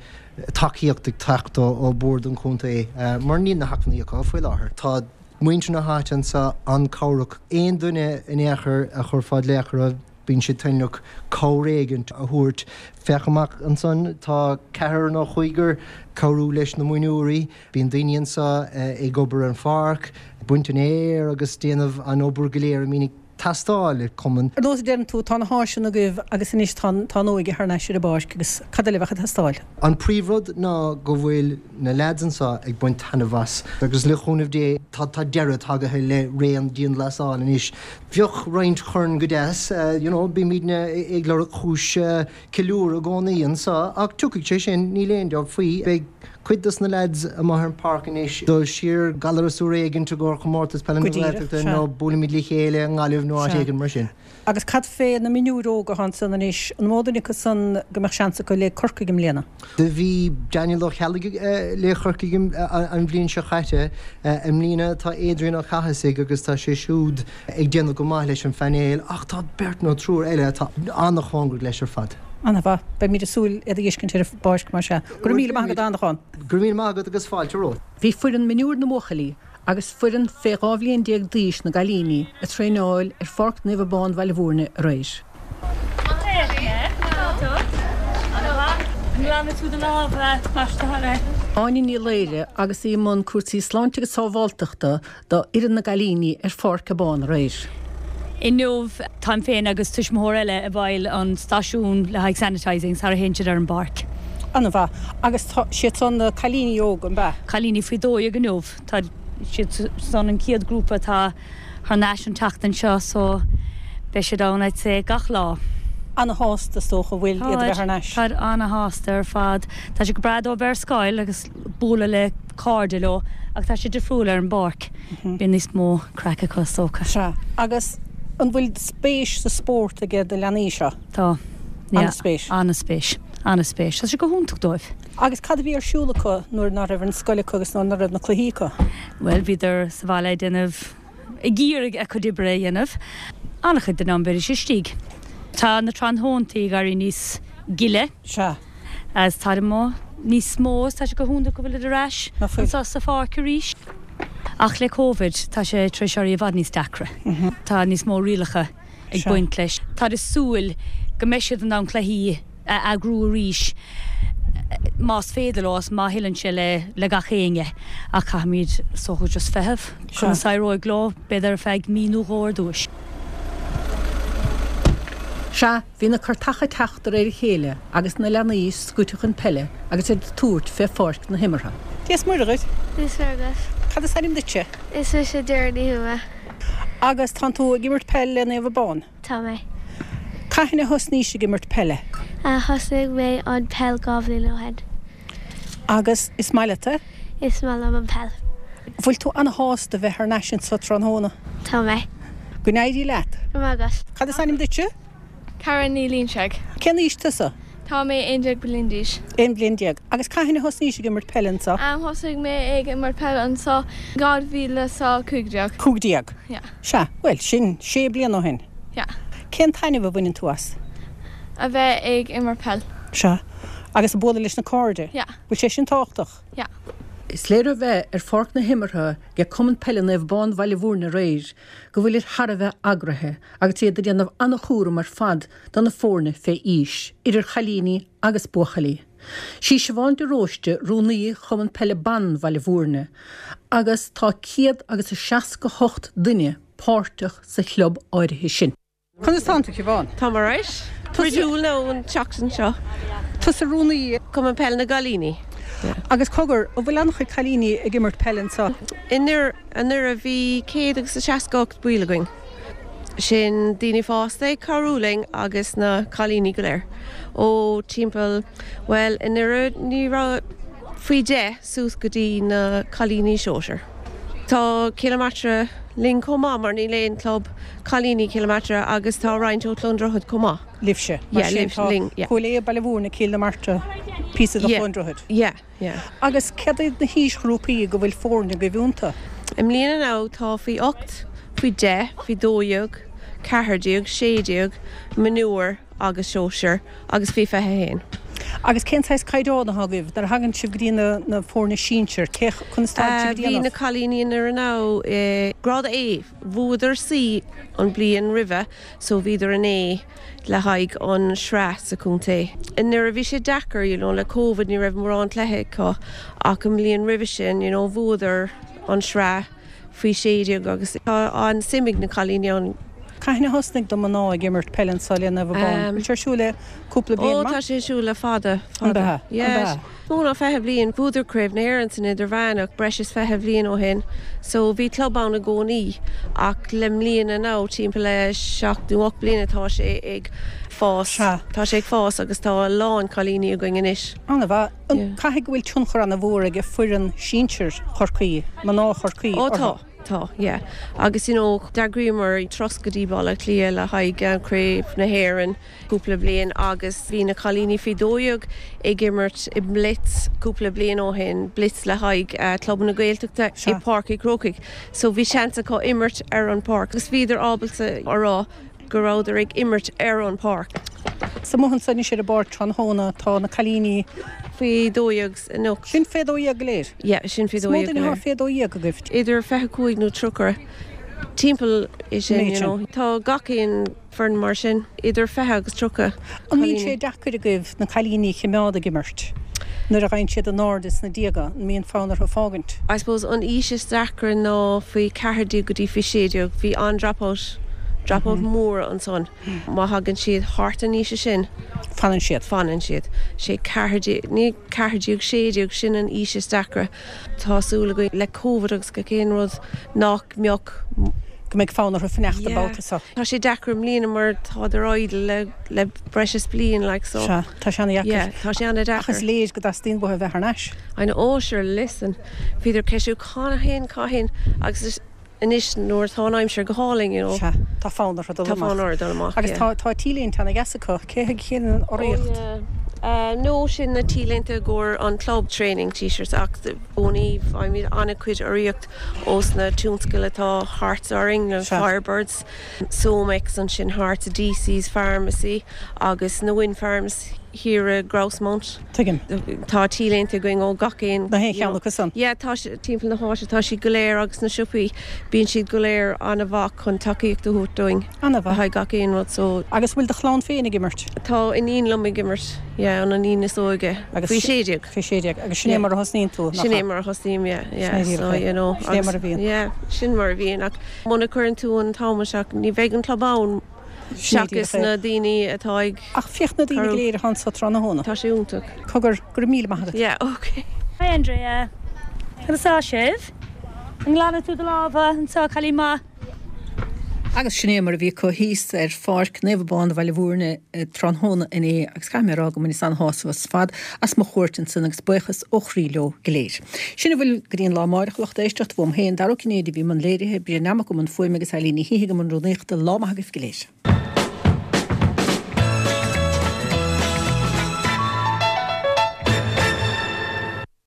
tacaíocht ag teacht ó Bhord an Chontae mar níl na hacmhainní acu faoi láthair. Tá muintir na háite anseo an-chabhrach. Aon duine in aon chor a chuirfeá glaoch orthu, bíonn siad toilteanach cabhair éigint a thabhairt. Féach amach ansan, tá ceathrar nó cúigear cabhrú leis na mionúirí. Bíonn daoine anseo ag obair ar an pháirc, baint an fhéir agus déanamh an obair go léir a mbíonn ag teastáil le cumann. Ar nós a deireann tú, tá na háiseanna agaibh agus anois tá an óige thar n-ais ar an bpáirc agus cad eile a bheadh ag teastáil? An príomhrud ná go bhfuil na leaids anseo ag baint taitneamh as agus le cúnamh Dé tá tá deireadh tagaithe le ré an dianghlasáil anois. Bheadh roinnt chorn go deas, you know, bímidne ag lorg cúis ceiliúradh i gcónaí anseo ach tiocfaidh sé sin, níl aon dabht faoi. Beidh cuid dos na leaids amuigh ar an páirc anois dul siar Gallaras uair éigin i gcomhair chomórtas peile na Go díreach, Gaeltachta sea. nó buailfimid le chéile i nGaillimh nó áit Sea. éigin mar sin. Agus cad fé na mionúir óga atá ansan anois, an mó duine acu san go mbeadh seans acu le Corcaigh i mbliana? Do bhí Daniel Ó Ceallaigh le Corcaigh an bhliain seo caite. I mbliana tá Adrian Ó Cathasaigh agus tá sé siúd ag déanamh go maith leis an phainéal ach tá beirt nó triúr eile atá an-chóngarach leis ar fad. An-mhaith. Beimid ag súil iad a fheiscint ar an bpáirc mar sea. Go raibh míle maith agat a Annacháin. Go raibh míle maith agat agus fáilte romhat. Bhí foireann mionúir na mbuachaillí agus foireann fé dhá bhliain déag d'aois na gcailíní ag traenáil ar Pháirc Naomh Abán Bhaile Bhúirne aréir. Áine Ní Laoire agus í i mbun cúrsaí sláinte agus sábháilteachta do fhoireann na gcailíní ar Pháirc Abán aréir. Inniu, táim féin agus tuismitheoir eile i bhfeighil an stáisiún le haghaidh sanitising sara théann siad ar an bpáirc. An-mhaith. Agus tá siad san na cailíní óga, an ea? Cailíní faoi dó dhéag inniu. Tá siad san an chéad grúpa atá thar n-ais an tseachtain seo so beidh siad ann I'd say gach lá. Ana-shásta is dócha an bhfuil iad a bheith thar n-ais? Táid ana-shásta ar fad. Tá sé go breá dóibh bheith ar scoil agus bualadh le cairde leo ach tá sé difriúil ar an bpáirc. Bíonn níos mó craic acu is dócha. Sea. Agus an bhfuil spéis sa spórt aige do leanaí seo? Tá. Yeah. An-spéis. An-spéis. An-spéis. Tá sé go hiontach dóibh. Agus cad a bhí ar siúl acu nuair ná raibh an scoil acu agus nuair ná raibh na cluichí acu? Bhuel, bhíodar sa bhaile ag déanamh, ag iarraidh a gcuid oibre a dhéanamh. An-chuid den am bhídís istigh. Tá na tráthnóntaí ag éirí níos gile. Sea. As táid amuigh níos mó is tá sé go hiontach go bhfuilid ar ais Ná fuil. anseo sa pháirc arís. Ach le Covid tá sé tar éis éirí i bhfad níos deacra. Tá níos mó rialacha ag Sea. baint leis. Táid ag súil go mbeidh siad in ann cluichí a eagrú arís más féidir leo is má thuilleann sé le le gach éinne ach caithfimid is dócha just feitheamh Sea. conas a éireoidh leo b'fhéidir ar feadh mí nó dhó ar dtúis. Sea, bhí na cairteacha ag teacht de réir a chéile agus na leanaí scoite chun peile agus iad ag tabhairt fé pháirc na himeartha. Dia is Muire dhuit. Dia is Muire dhuit. Cad is ainm duitse? Is mise Doireann Ní Thuama. Agus tánn tú ag imirt peile le Naomh Abán? Tá mé. Cathain a thosnaís ag imirt peile? Thosnaigh mé an peil dhá bhliain ó shin. Agus is maith leat é? Is maith liom an peil. Bhfuil tú an-shásta bheith thar n-ais anseo tráthnóna? Tá mé. Go n-éirí leat. Go raibh maith agat. Cad is ainm duitse? Karen Ní Loingsigh. Cén aois tusa? Tá mé aon déag bliain d'aois. Aon bhliain déag. Agus cathain a thosnaís ag imirt peile anseo? Am thosaigh mé ag imirt peile anseo dhá mhíle is a cúig déag. Cúig déag? Yeah. Sea, bhuel, sin sé bliana ó shin. Yeah. Cén taitneamh a bhaineann tú as? A bheith ag imirt peil. Sea. Agus ag bualadh leis na cairde? Yeah. Bhfuil sé sin tábhachtach? Yeah. Is léir ó bheith ar pháirc na himeartha ag Cumann Peile Naomh Abán Bhaile Mhúirne aréir go bhfuilid thar a bheith eagraithe agus iad ag déanamh an-chúram ar fad do na foirne fé aois, idir chailíní agus buachaillí. Sí Siobhán de Róiste rúnaí Chumann Peile Ban Bhaile Mhúirne agus tá céad agus a seasca hocht duine páirteach sa chlub áirithe sin. Conas tánn tú, Siobhán? Tá mé alright. Bródúil nó an tseachtain seo. Tusa rúnaí. Cumann Peile na gCailíní. Agus cogar, an bhfuil an-chuid cailíní ag imirt peile anseo? Anuraidh bhí céad agus a seasca ocht baill againn. Sin daoine fásta ag cabhrú linn agus na cailíní go léir. Ó timpeall, bhuel anuraidh ní raibh faoi deich suas go dtí na cailíní sóisir. Tá Cill na Martra linn chomh maith mar níl aon club cailíní Cill na Martra agus tá roinnt ó Chluain Droichead chomh maith. Libhse, mar sin tá Cúil Aodha, Baile Mhúirne, Cill na Martra, píosa de Chluain Droichead. Yeah, yeah. Agus céard iad na haoisghrúpaí go bhfuil foirne agaibh iontu? I mbliana now tá faoi ocht, faoi deich, faoi dó dhéag, ceathair déag, sé déag, mionúir agus sóisir agus faoi fiche a haon. Agus cén saghas caighdeán atá agaibh nuair a thagann sibh go dtí na na foirne sinsir? Cé conas tá sibh ag Bhí déanamh? na cailíní anuraidh now i grád A, bhuadar C an bliain roimhe so bhíodar in A le haghaidh an sraith sa chontae. Anuraidh bhí sé deacair you know le Covid ní raibh mórán cluiche acu ach an bhliain roimhe sin you know bhuadar an sraith faoi sé déag agus tá an-suim ag na cailíní ann. Cathain a thosnaigh do mná ag imirt peile anseo le Naomh Abán? Bhfuil sé ar siúl le cúpla bliain Ó maith? tá sé ar siúl le fada, An fada. b'ea? An Yeah. b'ea? Mó ná fiche bliain. Bhuadar Craobh na hÉireann san Idirmheánach breis is fiche bhliain ó shin so bhí club ann i gcónaí ach le mbliana now timpeall le seacht nó ocht bliana tá sé ag fás. Sea. Tá sé ag fás agus tá a lán cailíní againn anois. An-mhaith. An Yeah. Caithfidh go bhfuil tionchar an-mhór ag foireann sinsir Chorcaí, mná Chorcaí, Ó orthu? tá. Tá, yeah. Agus you know, d'eagraíomar turas go dtí Baile Átha Cliath le haghaidh Craobh na hÉireann cúpla bliain agus bhí na cailíní faoi dó dhéag ag imirt i blitz cúpla bliain ó shin, blitz le haghaidh uh, Club na Gaeltachta i Sea. Páirc Uí Chrócaigh. So bhí seans acu imirt ar an páirc agus bhíodar ábalta a rá go rabhadar ag imirt ar an páirc. Sa mothan san sé a bord tráthnóna tá na cailíní Faoi dó dhéag anocht. Sin fé dó dhéag go léir? Yeah, sin faoi Is dó mó dhéag duine go atá léir. fé dó dhéag agaibh. Idir fiche cúig nó tríocha timpeall é sin, Méid you sin. know. Tá gach aon foireann mar sin, idir fiche agus tríocha An mbíonn cailíní. sé deacair agaibh na cailíní a choimeád ag imirt? Nuair a ghabhann siad in airde sna déaga, an mbíonn fonn orthu fágaint? I suppose an aois is deacra ná faoi ceathair déag go dtí faoi sé déag, bhí an dropout, dropout mór ansan. Má thagann siad thart an aois sin, Fanann siad. Fanann siad. Sé ceathair déag, ní ceathair déag, sé déag, sin an aois is deacra. Tá súil againn le Covid agus gach aon rud nach mbeadh Go mbeidh fonn orthu fanacht Yeah. babhta seo. Tá sé deacair i mbliana mar tá ar idle le le breis is bliain like so. Sea, tá sé an-deacair. Yeah, tá sé an-deacair. Ach is léir go dteastaíonn uathu bheith thar n-ais. I know, oh sure, listen. Bhíodar ceisiú cathain cathain agus is anois nuair atá an aimsir go hálainn, you know. Sea, tá fonn orthu dul Tá amach. fonn orthu dul amach, Agus yeah. tá tá T-léinte an-deas acu, cé hiad cén an urraíocht? Oh, yeah. Uh, no sin na T-léinte i gcomhair an club training t-shirts ach óní faighimid an-chuid urraíocht ós na tionscail atá thart orainn na Sea. Firebirds, Somex ansin thart DC's Pharmacy agus na Wind Farms thiar i Grousemount. Tuigim. Tá T-léinte againn ó gach aon. Na haon cheann acu san. Yeah, tá sé timpeall na háite tá siad go léir agus na siopaí bíonn siad go léir an-mhaith chun tacaíocht a thabhairt dúinn. An-mhaith. Le haghaidh gach aon rud so. Agus bhfuil do chlann féin ag imirt? Tá iníon liom ag imirt, yeah, an iníon is óige. Agus Faoi sé déag. Faoi sé déag. Agus sin é mar a thosnaíonn tú, nach Sin é ea? mar a thosnaím, yeah, yeah, Sin é díreach so, é. you know, Sin é mar a agus- bhíonn. Yeah, sin mar a bhíonn ach muna gcuireann tú an t-am isteach ní bheidh an club ann Sin é seachas díreach é. na daoine atá ag Ach féach na daoine go léir atá anso tráthnóna. Tá sé iontach. Cogar, go raibh míle maith agat. Yeah, okay. Hi Andrea. Conas tá sibh? An nglanann tú do lámha anseo cailín maith. Agus sin é mar a bhí acu thíos ar pháirc Naomh Abán Bhaile Mhúirne tráthnóna inné agus caithfidh mé a rá go mbaineas an-shásamh as fad as mo chuairt ansin agus buíochas ó chroí leo go léir. Sin a bhfuil go dtí an lá amárach lucht éisteachta uaim féin Dara Ó Cinnéide a bhí i mbun léirithe, Brian Nammock i mbun fuaime agus Eileen Ní hIgim an rúnaíochta lá maith agaibh go léir.